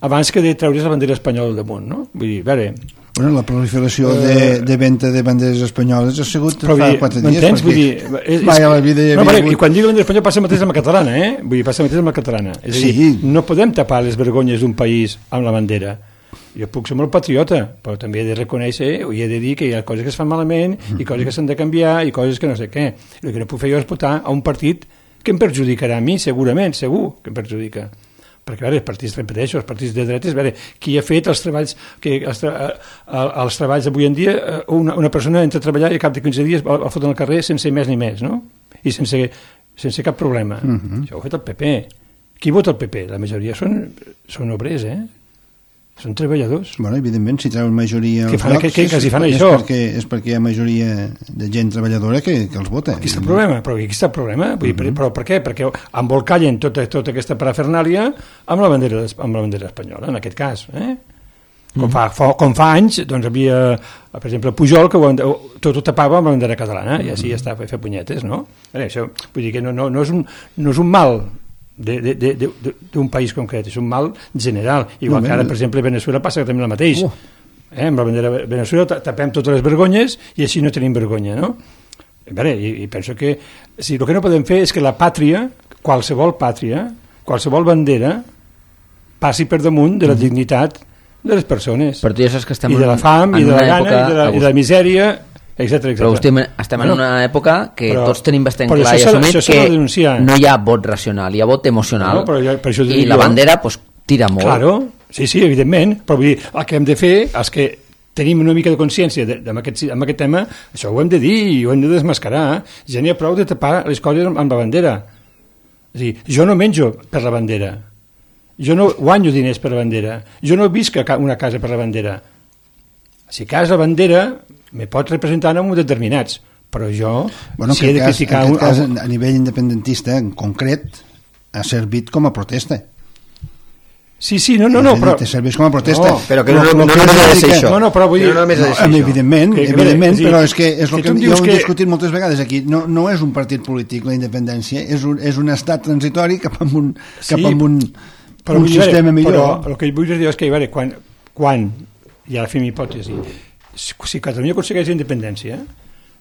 abans que de treure's la bandera espanyola al damunt, no? Vull dir, a veure... Bueno, la proliferació uh, de, de venda de banderes espanyoles ha sigut fa dir, quatre dies. M'entens? Vull dir, és, mai a la vida hi no, havia hagut... I quan dic bandera espanyola passa el mateix amb la catalana, eh? Vull dir, passa el mateix amb la catalana. És a dir, sí. no podem tapar les vergonyes d'un país amb la bandera. Jo puc ser molt patriota, però també he de reconèixer o he de dir que hi ha coses que es fan malament i coses que s'han de canviar i coses que no sé què. El que no puc fer jo és votar a un partit que em perjudicarà a mi, segurament, segur que em perjudica. Perquè, a veure, els partits, repeteixo, els partits de dretes, a veure, qui ha fet els treballs, que els, tra els treballs d'avui en dia, una, una persona entra a treballar i a cap de quinze dies el foten al carrer sense més ni més, no? I sense, sense cap problema. Uh-huh. Això ho ha fet el P P. Qui vota el P P? La majoria són, són obrers, eh? Són treballadors. Bueno, evidentment, si treuen majoria... Que fan, blocs, que, que, que si fan és això. Perquè, és perquè hi ha majoria de gent treballadora que, que els vota. Aquí està el problema, però aquí està el problema. Vull dir, uh-huh. Però per què? Perquè embolcallen tota, tota aquesta parafernàlia amb la bandera, amb la bandera espanyola, en aquest cas. Eh? Com, fa, fa, com fa anys, doncs havia, per exemple, Pujol, que ho, tot ho tapava amb la bandera catalana, i així ja està, fer punyetes, no? Veure, això, vull dir que no, no, no, és un, no és un mal d'un país concret, és un mal general, igual no, que ara, per exemple, a Venezuela passa també el mateix. Uh. Eh, amb la bandera de Venezuela tapem totes les vergonyes i així no tenim vergonya, no? Veure, i, i penso que si el que no podem fer és que la pàtria, qualsevol pàtria, qualsevol bandera, passi per damunt de la dignitat de les persones. Per tu ja saps que estem i de la fam, i de la gana, i de la, i de la misèria, etcètera, etcètera. Però estem, estem en una època que però, tots tenim bastant clar i això, assumit això que no hi ha vot racional, hi ha vot emocional, no, jo, per això i la bandera pues, tira molt. Claro, sí, sí, evidentment, però vull dir, el que hem de fer és que tenim una mica de consciència de, de, amb, aquest, amb aquest tema, això ho hem de dir i ho hem de desmascarar. Ja n'hi ha prou de tapar les coses amb, amb la bandera. És a dir, jo no menjo per la bandera, jo no guanyo diners per la bandera, jo no visc a una casa per la bandera. Si cas la bandera me pot representar en uns determinats, però jo, bueno, si he de criticar... En aquest cas, a nivell independentista, en concret, ha servit com a protesta. Sí, sí, no, no, no, però... Te serveix com a protesta. No, però que no, no, no, no, no ha de ser això. No, no, però vull dir... No, no, no, no, evidentment, que, evidentment, que, però és que és el que, que jo he que... discutit moltes vegades aquí. No, no és un partit polític, la independència, és un, és un estat transitori cap a un, sí, cap a un, però, un sistema millor. Però el que vull dir és que, a veure, quan, quan i ara fem hipòtesi, si Catalunya aconsegueix independència,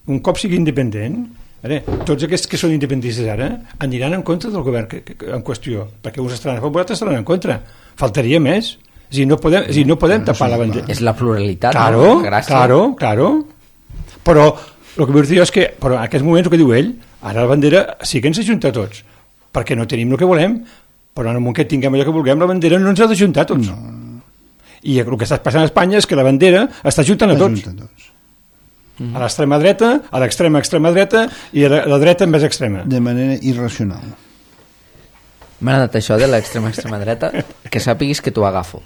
un cop sigui independent, veure, tots aquests que són independentistes ara aniran en contra del govern que, que, en qüestió, perquè uns estaran a favor, altres estaran en contra. Faltaria més. És a dir, no podem, és a dir, no podem tapar la bandera. És la pluralitat, claro, no? Gràcies. Claro, claro. Però el que vull dir és que, però en aquests moments, el que diu ell, ara la bandera sí que ens ajunta a tots, perquè no tenim el que volem, però en el moment que tinguem allò que vulguem, la bandera no ens ha d'ajuntar a tots. No. I el que està passant a Espanya és que la bandera està ajuntant a tots. A, tots. Mm. A l'extrema dreta, a l'extrema extrema dreta i a la dreta més extrema. De manera irracional. M'ha agradat això de l'extrema extrema dreta, que sàpiguis que t'ho agafo.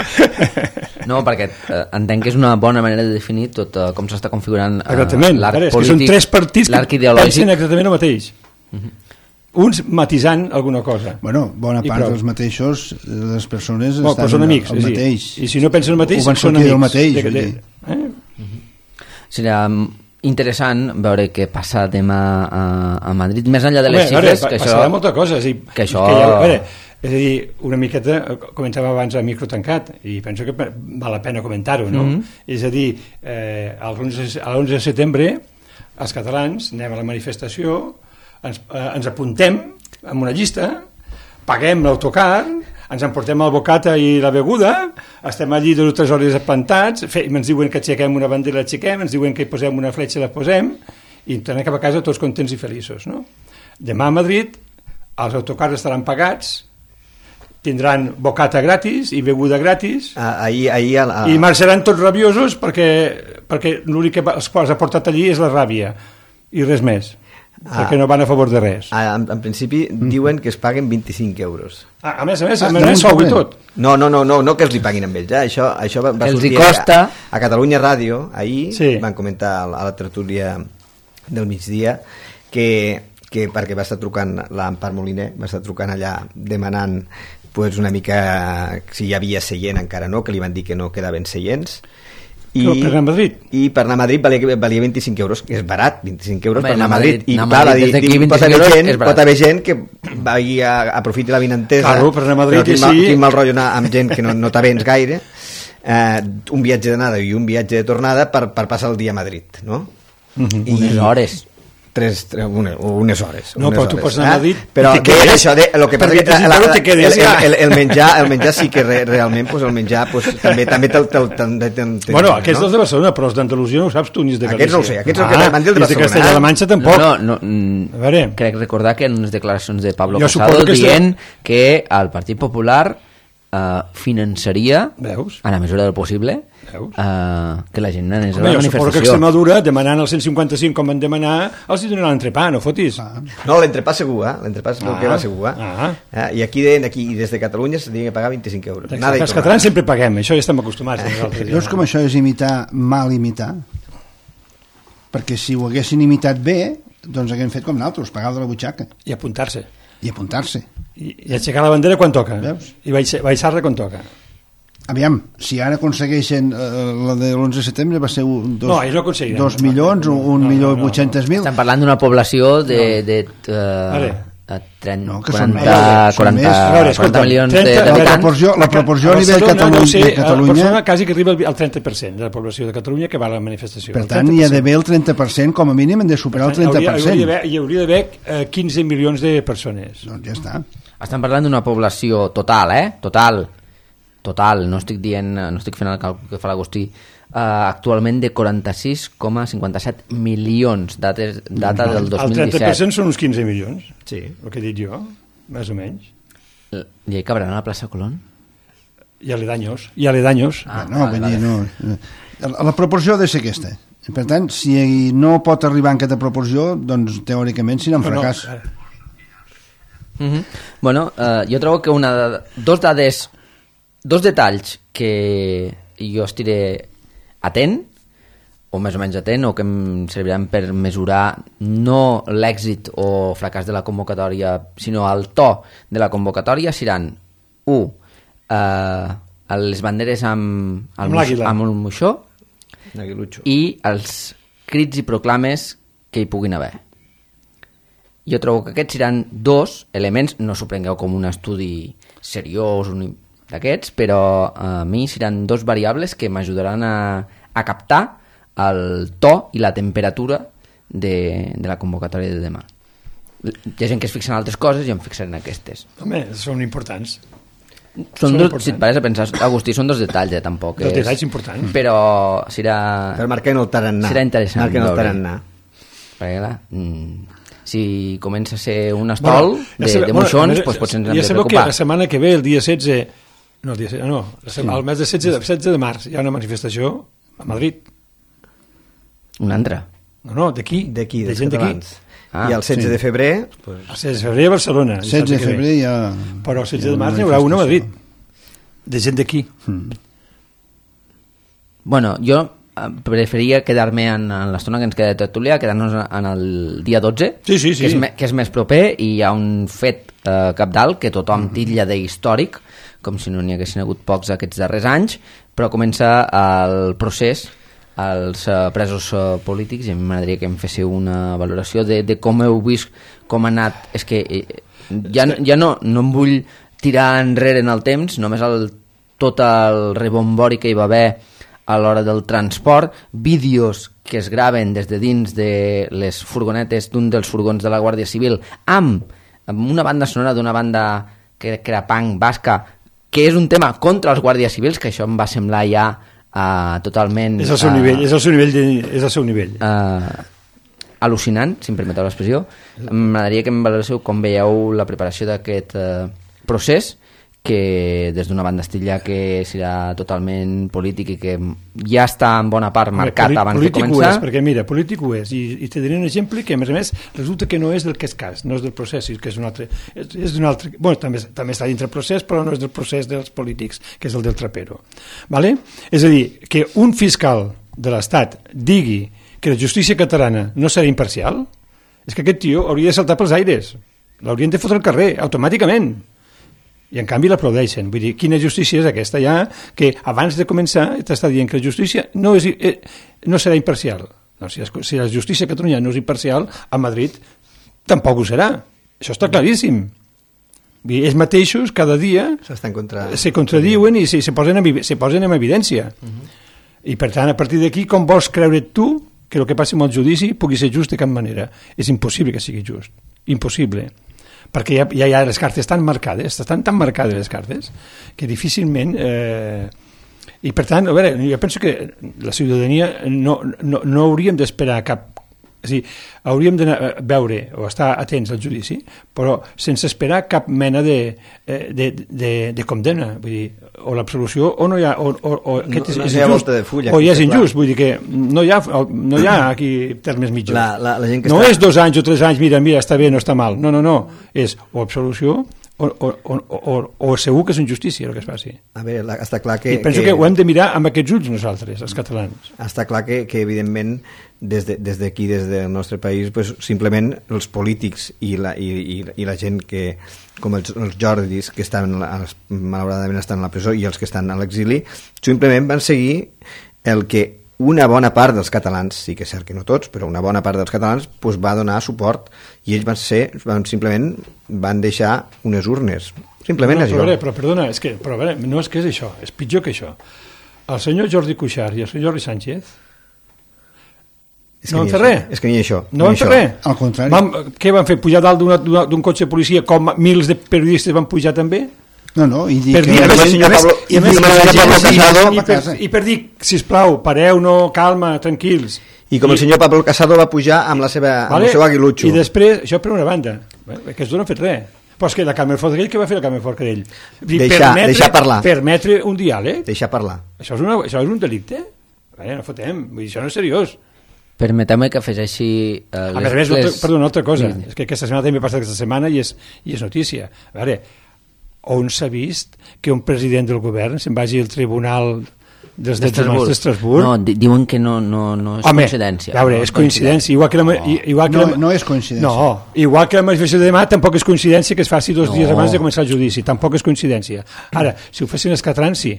No, perquè eh, entenc que és una bona manera de definir tot eh, com s'està configurant eh, l'arc polític, que són tres partits l'arc que pensen exactament el mateix. Mm-hmm. Uns matisant alguna cosa. Bueno, bona part dels mateixos, les persones bueno, estan són amics, el mateix. I si no pensen el mateix, són amics. Mateix, de, de, eh? uh-huh. Seria interessant veure què passa demà a, a Madrid, més enllà de les Home, xifres. Veure, que passarà això, molta cosa. És, dir, que això... que ja, veure, és a dir, una miqueta, comentàvem abans a micro tancat, i penso que val la pena comentar-ho, no? Mm-hmm. És a dir, eh, l'onze de setembre, els catalans anem a la manifestació, ens, eh, ens apuntem en una llista, paguem l'autocar, ens emportem el bocata i la beguda, estem allí dues o tres hores plantats, fe, ens diuen que aixequem una bandera, l'aixequem, ens diuen que hi posem una fletxa, la posem, i tornem cap a casa tots contents i feliços. No? Demà a Madrid els autocars estaran pagats, tindran bocata gratis i beguda gratis, ah, ahir, ahir a la... i marxaran tots rabiosos perquè, perquè l'únic que els quals ha portat allí és la ràbia, i res més. Ah, perquè no van a favor de res. Ah, en, en principi mm. diuen que es paguen vint-i-cinc euros. Ah, a més a més, ah, a més sou i tot. No, no, no, no, no que els li paguin amb ells. Eh? Això, això va, va sortir costa... a, a Catalunya Ràdio, ahir sí. Van comentar a la, a la tertúlia del migdia que, que perquè va estar trucant l'Empar Moliner, va estar trucant allà demanant pues, una mica si hi havia seient, encara no, que li van dir que no quedaven seients. I, per anar a Madrid? I per anar a Madrid valia, valia vint-i-cinc euros, que és barat, vint-i-cinc euros. Home, per anar a Madrid. I anar clar, Madrid, dir, dir, pot, haver gent, pot haver gent que vagi a, aprofiti la vinentesa. Claro, per anar a Madrid, quin, sí. mal, quin mal rotllo anar amb gent que no, no t'avens gaire. eh, un viatge d'anada i un viatge de tornada per, per passar el dia a Madrid, no? Uh-huh. I unes hores. Tres, tres, una, unes hores. No, unes però tu hores, pots anar a Madrid eh? Però i te quedes, això de, lo que passa perquè que si la, no la, te quedes el, ja. el, el, menjar, el menjar sí que re, realment pues, el menjar pues, també també te'l te, te, te, te, te, bueno, aquests no? dels de Barcelona, però els d'Andalusia no ho saps tu ni els de Galícia. Aquests no ho sé, aquests ah, el que van dir el de Barcelona. I de Castella-La Manxa tampoc. No, no, no a veure. crec recordar que en unes declaracions de Pablo Jo Casado que dient que el Partit Popular eh, finançaria, Veus? a la mesura del possible, eh, que la gent anés a la Home, jo suposo que manifestació. Extremadura, demanant el cent cinquanta cinc com van demanar, els hi donaran l'entrepà, no fotis. Ah. No, l'entrepà segur, eh? L'entrepà segur Ah. que va segur, eh? Ah. Eh? I aquí, de, aquí des de Catalunya s'havien de pagar vint-i-cinc euros. Nada i Els tornada. catalans sempre paguem, això ja estem acostumats. Nosaltres, Veus com això és imitar, mal imitar? Perquè si ho haguessin imitat bé, doncs haguem fet com nosaltres, pagar de la butxaca I apuntar-se. i apuntar-se. I, i aixecar la bandera quan toca. Veus? I baix- baixar-la quan toca. Aviam, si ara aconsegueixen eh, la de l'onze de setembre va ser un, dos, No, ells no aconseguiran. dos milions, un, un No, no, milió no, no. vuit-cents mil. Estem parlant d'una població de, de, de Vale. uh, trenta, No, que són quaranta, més, són quaranta, més. A veure, escolta, quaranta milions trenta, de- la d'habitants. proporció, la proporció a, a nivell Barcelona, Catalunya, no sé, de Catalunya, a Barcelona quasi que arriba al- al trenta per cent de la població de Catalunya que va a la manifestació. per El tant, trenta hi per ha cent. d'haver el trenta per cent, com a mínim hem de superar el trenta per Hauria, cent. hauria d'haver- hi hauria d'haver eh, quinze milions de persones. Doncs ja està. Estem parlant d'una població total, eh? Total. Total, no estic dient, no estic fent el càlcul que fa l'Agustí, uh, actualment de quaranta-sis coma cinquanta-set milions, dates, data del dos El mil trenta per disset. cent són uns quinze milions, Sí. el que he dit jo, més o menys. I hi cabran a la plaça Colón? I aledaños. I aledaños. Ah, no, vale, vull dir, vale. no. La, la proporció ha de ser aquesta. Per tant, si no pot arribar en aquesta proporció, doncs teòricament serà un Bueno, fracàs. eh, Uh -huh. Bueno, uh, jo trobo que una, dos dades, dos detalls que jo estiré atent, o més o menys atent, o que em serviran per mesurar no l'èxit o fracàs de la convocatòria, sinó el to de la convocatòria, seran u, eh, les banderes amb, el Amb moix- l'àguila. amb el moixó Aguilucho. i els crits i proclames que hi puguin haver. Jo trobo que aquests seran dos elements, no s'ho prengueu com un estudi seriós un d'aquests, però a mi seran dos variables que m'ajudaran a, a captar el to i la temperatura de, de la convocatòria de demà. Hi ha gent que es fixa en altres coses i em fixaré en aquestes. home, són importants. Són Són dos, importants. si et pareix a pensar, Agustí, són dos detalls, eh, tampoc. Dos és- detalls importants. Però serà... Per marcar el tarannà. Serà interessant Marquen el veure. tarannà. Perquè, clar, mm, si comença a ser un estol ja de, sabeu- de moixons, bueno, doncs potser ens hem ja de sabeu que preocupar. la setmana que ve, el dia setze... No, el dia setze, no, la setmana, el mes de setze, de setze de març hi ha una manifestació a Madrid. Una altra. No, no, d'aquí, D'aquí, de dels gent d'aquí. catalans. Ah, I el setze sí. de febrer... Pues, El setze de febrer a Barcelona. setze de dissabte que ve. febrer ja... Però el setze hi ha de març n'hi haurà una a Madrid. manifestació. De gent d'aquí. Mm. Bueno, jo eh, preferia quedar-me en, en l'estona que ens queda de tertúlia, quedar-nos en el dia dotze, Sí, sí, sí. Que, és me, que és més proper, i hi ha un fet eh, capdalt que tothom titlla d'històric, com si no n'hi haguessin hagut pocs aquests darrers anys, però comença el procés als eh, presos eh, polítics, i a mi m'agradaria que em féssiu una valoració de, de com heu vist, com ha anat. És que eh, ja, ja no, no em vull tirar enrere en el temps, només el, tot el rebombori que hi va haver a l'hora del transport, vídeos que es graven des de dins de les furgonetes d'un dels furgons de la Guàrdia Civil amb, amb una banda sonora d'una banda que, que era punk basca, que és un tema contra els guàrdies civils, que això em va semblar ja uh, totalment... És el seu uh, nivell, és el seu nivell. De, és el seu nivell. uh, al·lucinant, si em permeteu l'expressió. M'agradaria que em valoréssiu com veieu la preparació d'aquest uh, procés, que des d'una banda estilla que serà totalment polític i que ja està en bona part marcat Home, abans de polític començar. Ho és, perquè mira, polític ho és, i, i te diré un exemple que a més a més resulta que no és del que és cas, no és del procés, que és un altre, és, és d'un altre, bueno, també, també està dintre el procés, però no és del procés dels polítics, que és el del trapero. Vale? És a dir, que un fiscal de l'Estat digui que la justícia catalana no serà imparcial, és que aquest tio hauria de saltar pels aires, l'haurien de fotre al carrer, automàticament. I en canvi l'aplaudeixen. Vull dir, quina justícia és aquesta ja, que abans de començar t'està dient que la justícia no, és, eh, no serà imparcial. No, si, si la justícia a Catalunya no és imparcial, a Madrid tampoc ho serà. Això està claríssim. ells mateixos cada dia contra... se contradiuen i se, se, posen en, se posen en evidència. Uh-huh. I per tant, a partir d'aquí, com vols creure tu que el que passi amb el judici pugui ser just de cap manera? És impossible que sigui just. Impossible. Perquè ja, ja, ja les cartes estan marcades, estan tan marcades les cartes, que difícilment... Eh... I per tant, a veure, jo penso que la ciutadania no, no, no hauríem d'esperar cap... És a dir, hauríem de veure o estar atents al judici, però sense esperar cap mena de, de, de, de condemna. Vull dir, o l'absolució o no hi ha... O, o, o aquest no, és, no és injust, de fulla, o ja és injust. Vull dir que no hi ha, no hi ha aquí termes mitjos. La, la, la gent que no està... és dos anys o tres anys, mira, mira, està bé, no està mal. No, no, no. És o absolució o, o, o, o, o segur que és injustícia el que es faci. A veure, la, està clar que... I penso que, que ho hem de mirar amb aquests ulls nosaltres, els catalans. Està clar que, que evidentment, des d'aquí, de, des, des del nostre país, pues, simplement els polítics i la, i, i, i la gent que, com els, els Jordis, que estan, malauradament estan a la presó, i els que estan a l'exili, simplement van seguir el que una bona part dels catalans, sí que és cert que no tots, però una bona part dels catalans pues, va donar suport, i ells van ser, van, simplement van deixar unes urnes. Simplement no, és però, això. Veure, però perdona, és que, però, veure, no és que és això, és pitjor que això. El senyor Jordi Cuixart i el senyor Jordi Sánchez no van fer res. És que ni això. No van fer res. Al contrari. Van, què van fer? Pujar dalt d'un cotxe de policia com mils de periodistes van pujar també? No, no, i dir per que... dir, I, senyor Pablo, i, a més, Casado, i, per, i per dir, sisplau, pareu, no, calma, tranquils. I com I, el senyor Pablo Casado va pujar amb, la seva, vale, amb el seu aguilutxo. I després, això per una banda, eh, que els no han fet res. Però és que la Carme Forcadell, què va fer la Carme Forcadell? Deixar, permetre, deixar parlar. Permetre un diàleg. Deixar parlar. Això és, una, això és un delicte? Vale, no fotem, vull dir, això no és seriós. Permeteu-me que afegeixi... Uh, a més a més, les... perdó, una altra cosa, sí. És que aquesta setmana també ha passat aquesta setmana i és, i és notícia. A veure, on s'ha vist que un president del govern se'n vagi al tribunal dels drets humans d'Estrasburg? No, diuen que no, no, no és Home, coincidència. A veure, no és coincidència. Igual que la, no, igual que no, la, no és coincidència. No, igual que la manifestació de demà tampoc és coincidència que es faci dos no. dies abans de començar el judici. Tampoc és coincidència. Ara, si ho fessin els catalans, sí.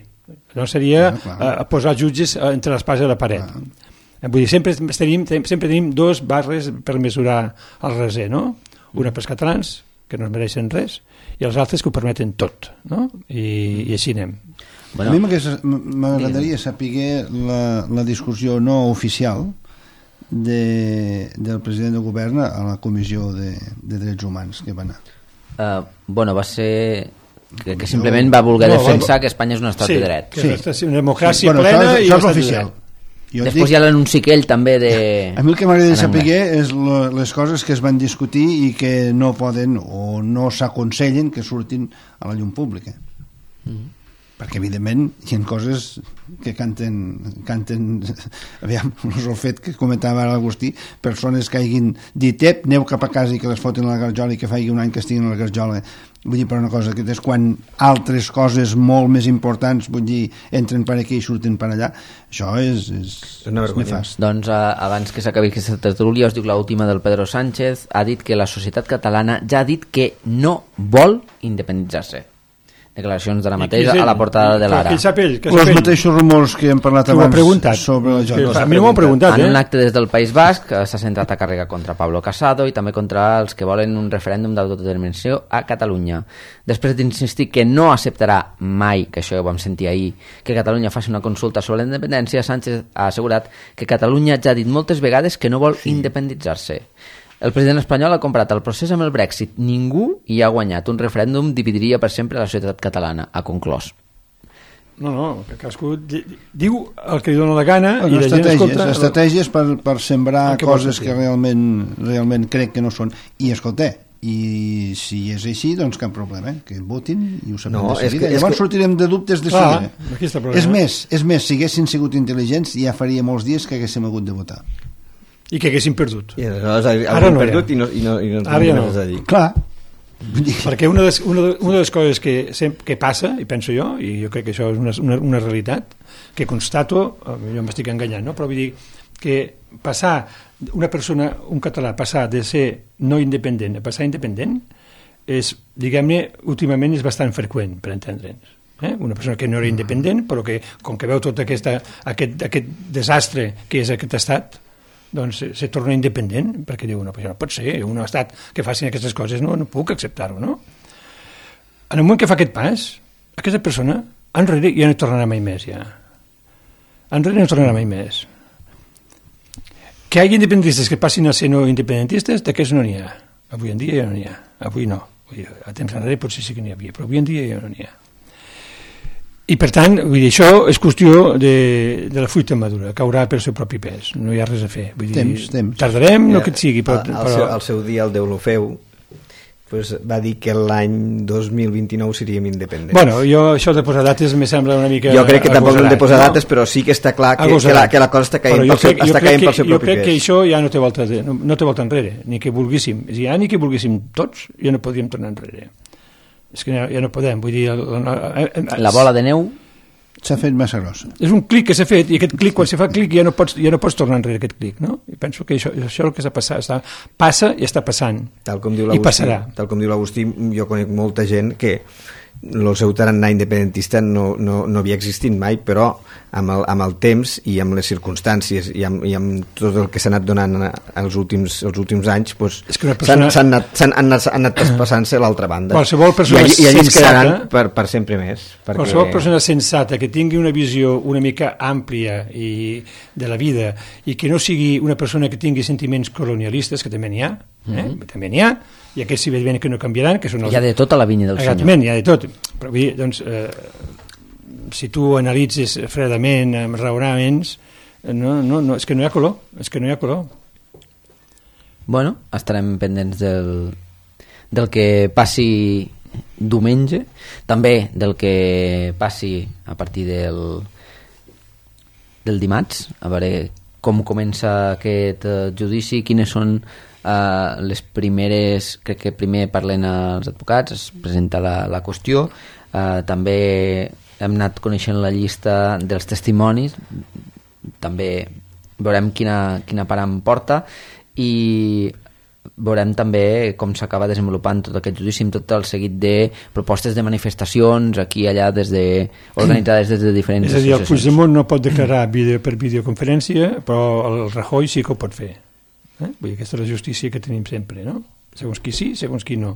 No seria no, uh, posar jutges entre l'espasa i la paret. Clar. Vull dir, sempre tenim, sempre tenim dos barres per mesurar el reser, no? Una pels catalans, que no es mereixen res, i els altres que ho permeten tot, no? I, i així anem. Bueno, a mi m'agradaria saber la, la discussió no oficial de, del president del govern a la Comissió de, de Drets Humans que va anar. Uh, bueno, va ser... Que, que simplement va voler no, defensar que Espanya és un estat sí, de dret. Sí, sí. Una democràcia sí, bueno, això plena és, i això un és estat oficial. de dret. Jo Després dic, hi ha l'anunci aquell també de... A mi el que m'agradaria saber és lo, les coses que es van discutir i que no poden o no s'aconsellen que surtin a la llum pública. Mm-hmm. Perquè evidentment hi ha coses que canten, canten aviam, el fet que comentava ara l'Agustí, persones que hagin dit ep, aneu cap a casa i que les fotin a la garjola i que faci un any que estiguin a la garjola. Vull dir, per una cosa, que és quan altres coses molt més importants, vull dir, entren per aquí i surten per allà, això és, és, és una vergonya. Nefast. Doncs uh, abans que s'acabi aquesta tertúlia us dic l'última del Pedro Sánchez, ha dit que la societat catalana ja ha dit que no vol independitzar-se. Declaracions de la mateixa a la portada de l'Ara. Els mateixos rumors que hem parlat abans sobre la Jota. A mi m'ho han preguntat. En un acte des del País Basc s'ha centrat a càrrega contra Pablo Casado i també contra els que volen un referèndum d'autodeterminació a Catalunya. Després d'insistir que no acceptarà mai, que això ho vam sentir ahir, que Catalunya faci una consulta sobre la independència, Sánchez ha assegurat que Catalunya ja ha dit moltes vegades que no vol sí. independitzar-se. El president espanyol ha comparat el procés amb el Brexit. Ningú hi ha guanyat. Un referèndum dividiria per sempre la societat catalana, ha conclòs. No, no, que cadascú diu el que li dona la gana bueno, i la gent escolta... Estratègies per, per sembrar que coses que realment, realment crec que no són. I escolta, i si és així, doncs cap problema, eh? Que votin i ho sapem no, de seguida. Que, Llavors que... sortirem de dubtes de Clar, seguida. És més, és més, si haguessin sigut intel·ligents ja faria molts dies que haguéssim hagut de votar. I que haguessin perdut. I aleshores ara no perdut i no, i no, i no ara ja no. A dir. Clar. Perquè una de, les, una, de, una de les coses que, que passa, i penso jo, i jo crec que això és una, una, una realitat, que constato, jo m'estic enganyant, no? Però vull dir que passar una persona, un català, passar de ser no independent a passar independent, és, diguem-ne, últimament és bastant freqüent, per entendre'ns. Eh? Una persona que no era independent, però que, com que veu tot aquesta, aquest, aquest desastre que és aquest estat, doncs se, se torna independent, perquè diu, no, no pot ser, un estat que facin aquestes coses, no, no puc acceptar-ho, no? en el moment que fa aquest pas, aquesta persona enrere ja no tornarà mai més, ja. Enrere no tornarà mai més. Que hi hagi independentistes que passin a ser no independentistes, d'aquests no n'hi ha. Avui en dia ja no n'hi ha. Avui no. A temps enrere potser sí que n'hi havia, però avui en dia ja no n'hi ha. I per tant, vull dir, això és qüestió de, de la fruita madura, caurà pel seu propi pes, no hi ha res a fer. Vull dir, temps, temps. Tardarem, no que et sigui, però... Al, al, seu, al seu dia el Deulofeu pues, va dir que l'any dos mil vint-i-nou seríem independents. Bueno, jo això de posar dates me sembla una mica... Jo crec que tampoc hem de posar no? dates, però sí que està clar que, que, la, que la cosa està caient pel seu, està caient pel seu jo propi crec pes. Que això ja no té volta, de, no, no té volta enrere, ni que volguéssim. Ja ni que volguéssim tots, ja no podríem tornar enrere. És que ja, ja no podem, vull dir... El, el, el, La bola de neu... S'ha fet massa grossa. És un clic que s'ha fet, i aquest clic, quan se fa clic, ja no pots, ja no pots tornar enrere aquest clic, no? I penso que això, això és el que està passant, està, passa i està passant. Tal com diu I passarà. Tal com diu l'Agustí, jo conec molta gent que el seu tarannà independentista no, no, no havia existit mai, però amb el, amb el temps i amb les circumstàncies i amb, i amb tot el que s'ha anat donant els últims, els últims anys, pues, persona... s'han anat, s'han anat, han anat traspassant-se a l'altra banda. Qualsevol persona I, i allí es quedaran sensata, per, per sempre més. Perquè... Qualsevol persona sensata que tingui una visió una mica àmplia i de la vida i que no sigui una persona que tingui sentiments colonialistes, que també n'hi ha, eh? Mm-hmm. també n'hi ha, i aquests si veiem que no canviaran, que són els... Hi ha de tota la vinya del Exactament, senyor. hi ha de tot. Però vull dir, doncs, eh, si tu analitzes fredament, amb raonaments, no, no, no, és que no hi ha color, és que no hi ha color. Bueno, estarem pendents del, del que passi diumenge, també del que passi a partir del, del dimarts, a veure com comença aquest uh, judici, quines són Uh, les primeres, crec que primer parlen els advocats, es presenta la, la qüestió, uh, també hem anat coneixent la llista dels testimonis, també veurem quina, quina part em porta i veurem també com s'acaba desenvolupant tot aquest judici amb tot el seguit de propostes de manifestacions aquí i allà des de, organitzades des de diferents associacions. És a dir, el Puigdemont no pot declarar video, per videoconferència, però el Rajoy sí que ho pot fer. Eh? Vull dir, aquesta és la justícia que tenim sempre, no? Segons qui sí, segons qui no.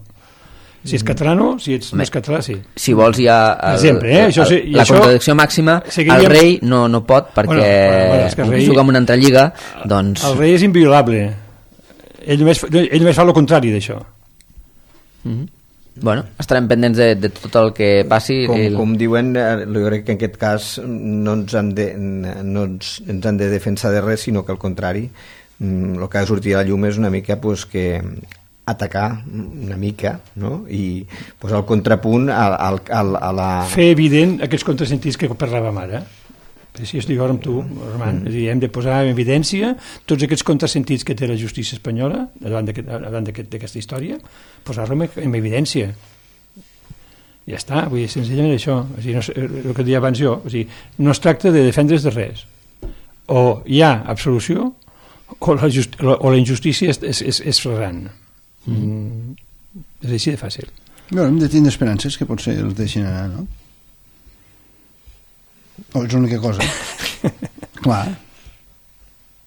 Si és català no, si ets no és català sí. Si vols hi ha el, sempre, eh? això, el, la això, contradicció màxima, seguiríem... el rei no, no pot perquè bueno, bueno, bueno, és que el rei, juga en una altra lliga, doncs... El rei és inviolable. Ell només, ell només fa el contrari d'això. Mm-hmm. Bueno, estarem pendents de, de tot el que passi. Com, el... com diuen, jo crec que en aquest cas no ens han de, no ens, ens han de defensar de res, sinó que al contrari, el que ha de sortir a la llum és una mica pues, que atacar una mica, no? I pues, el contrapunt a, a, a, a la... Fer evident aquests contrasentits que parlàvem ara. Si estic ara amb tu, Armand, mm. és a dir, hem de posar en evidència tots aquests contrasentits que té la justícia espanyola davant d'aquesta història, posar-los en evidència. Ja està, vull dir, senzillament això. O sigui, no, el que deia abans jo, o sigui, no es tracta de defendre's de res. O hi ha absolució o la, just, o la injustícia és, és, és, és flagrant. Mm. Mm. És així de fàcil. Bé, hem de tindre esperances que potser els deixin anar, no? O és l'única cosa. Clar.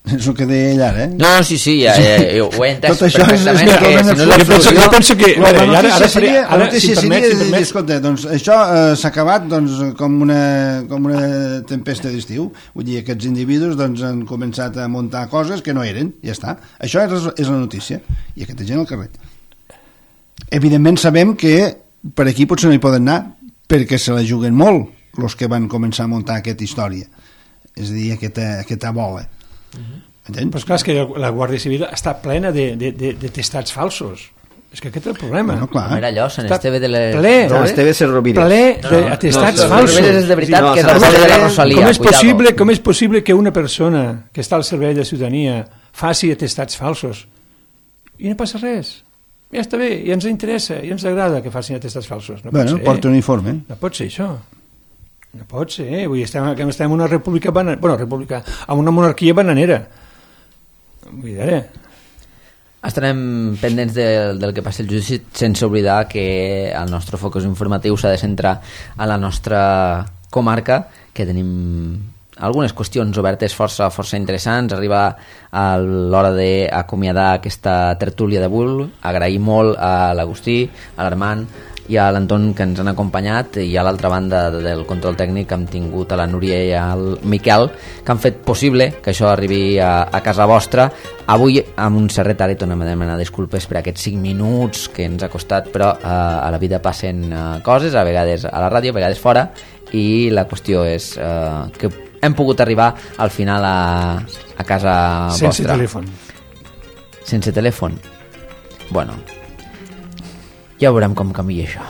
És el que deia ell ara, eh? No, sí, sí, ja, ja, ja ho he entès tot això perfectament. És, és que, si no és jo, penso, jo penso que... La, ara, notícia ara, seria, ara, la notícia si seria permet, si de dir, permet. escolta, doncs això eh, s'ha acabat doncs, com, una, com una tempesta d'estiu. Vull dir, aquests individus doncs, han començat a muntar coses que no eren, ja està. Això és, és la notícia. I aquesta gent al carrer. Evidentment sabem que per aquí potser no hi poden anar perquè se la juguen molt els que van començar a muntar aquesta història, és a dir, aquesta, aquesta bola. Uh-huh. Però és clar, és que la Guàrdia Civil està plena de, de, de, de testats falsos. És que aquest és el problema. Bueno, clar. Com era allò, Sant Esteve de les... Ple, no, Esteve Serrovires. Ple d'atestats no, no, falsos. és de veritat no, que és el de la Rosalia. Com és, possible, com és possible que una persona que està al servei de la ciutadania faci atestats falsos? I no passa res. Ja està bé, ja ens interessa, ja ens agrada que facin atestats falsos. No bueno, pot ser, porta un uniforme. No pot ser això. No pot ser, eh? Vull dir, estem, estem en una república bananera, bueno, república, en una monarquia bananera. Vull dir, eh? Estarem pendents del, del que passi el judici, sense oblidar que el nostre focus informatiu s'ha de centrar a la nostra comarca, que tenim algunes qüestions obertes força, força interessants. Arriba a l'hora d'acomiadar aquesta tertúlia d'avui. Agrair molt a l'Agustí, a l'Armand, i a l'Anton, que ens han acompanyat, i a l'altra banda del control tècnic hem tingut a la Núria i al Miquel, que han fet possible que això arribi a, a casa vostra. Avui amb un cert retard i tornem a demanar disculpes per aquests cinc minuts que ens ha costat, però eh, a la vida passen eh, coses, a vegades a la ràdio, a vegades fora, i la qüestió és eh, que hem pogut arribar al final a, a casa Sense vostra. Sense telèfon. Sense telèfon. Bueno, ja veurem com canvia això.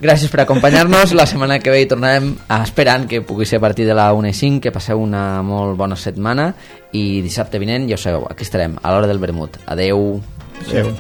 Gràcies per acompanyar-nos. La setmana que ve hi tornarem, esperant que pugui ser a partir de la una i cinc. Que passeu una molt bona setmana i dissabte vinent, ja ho sabeu, aquí estarem a l'hora del vermut. Adeu. Adeu.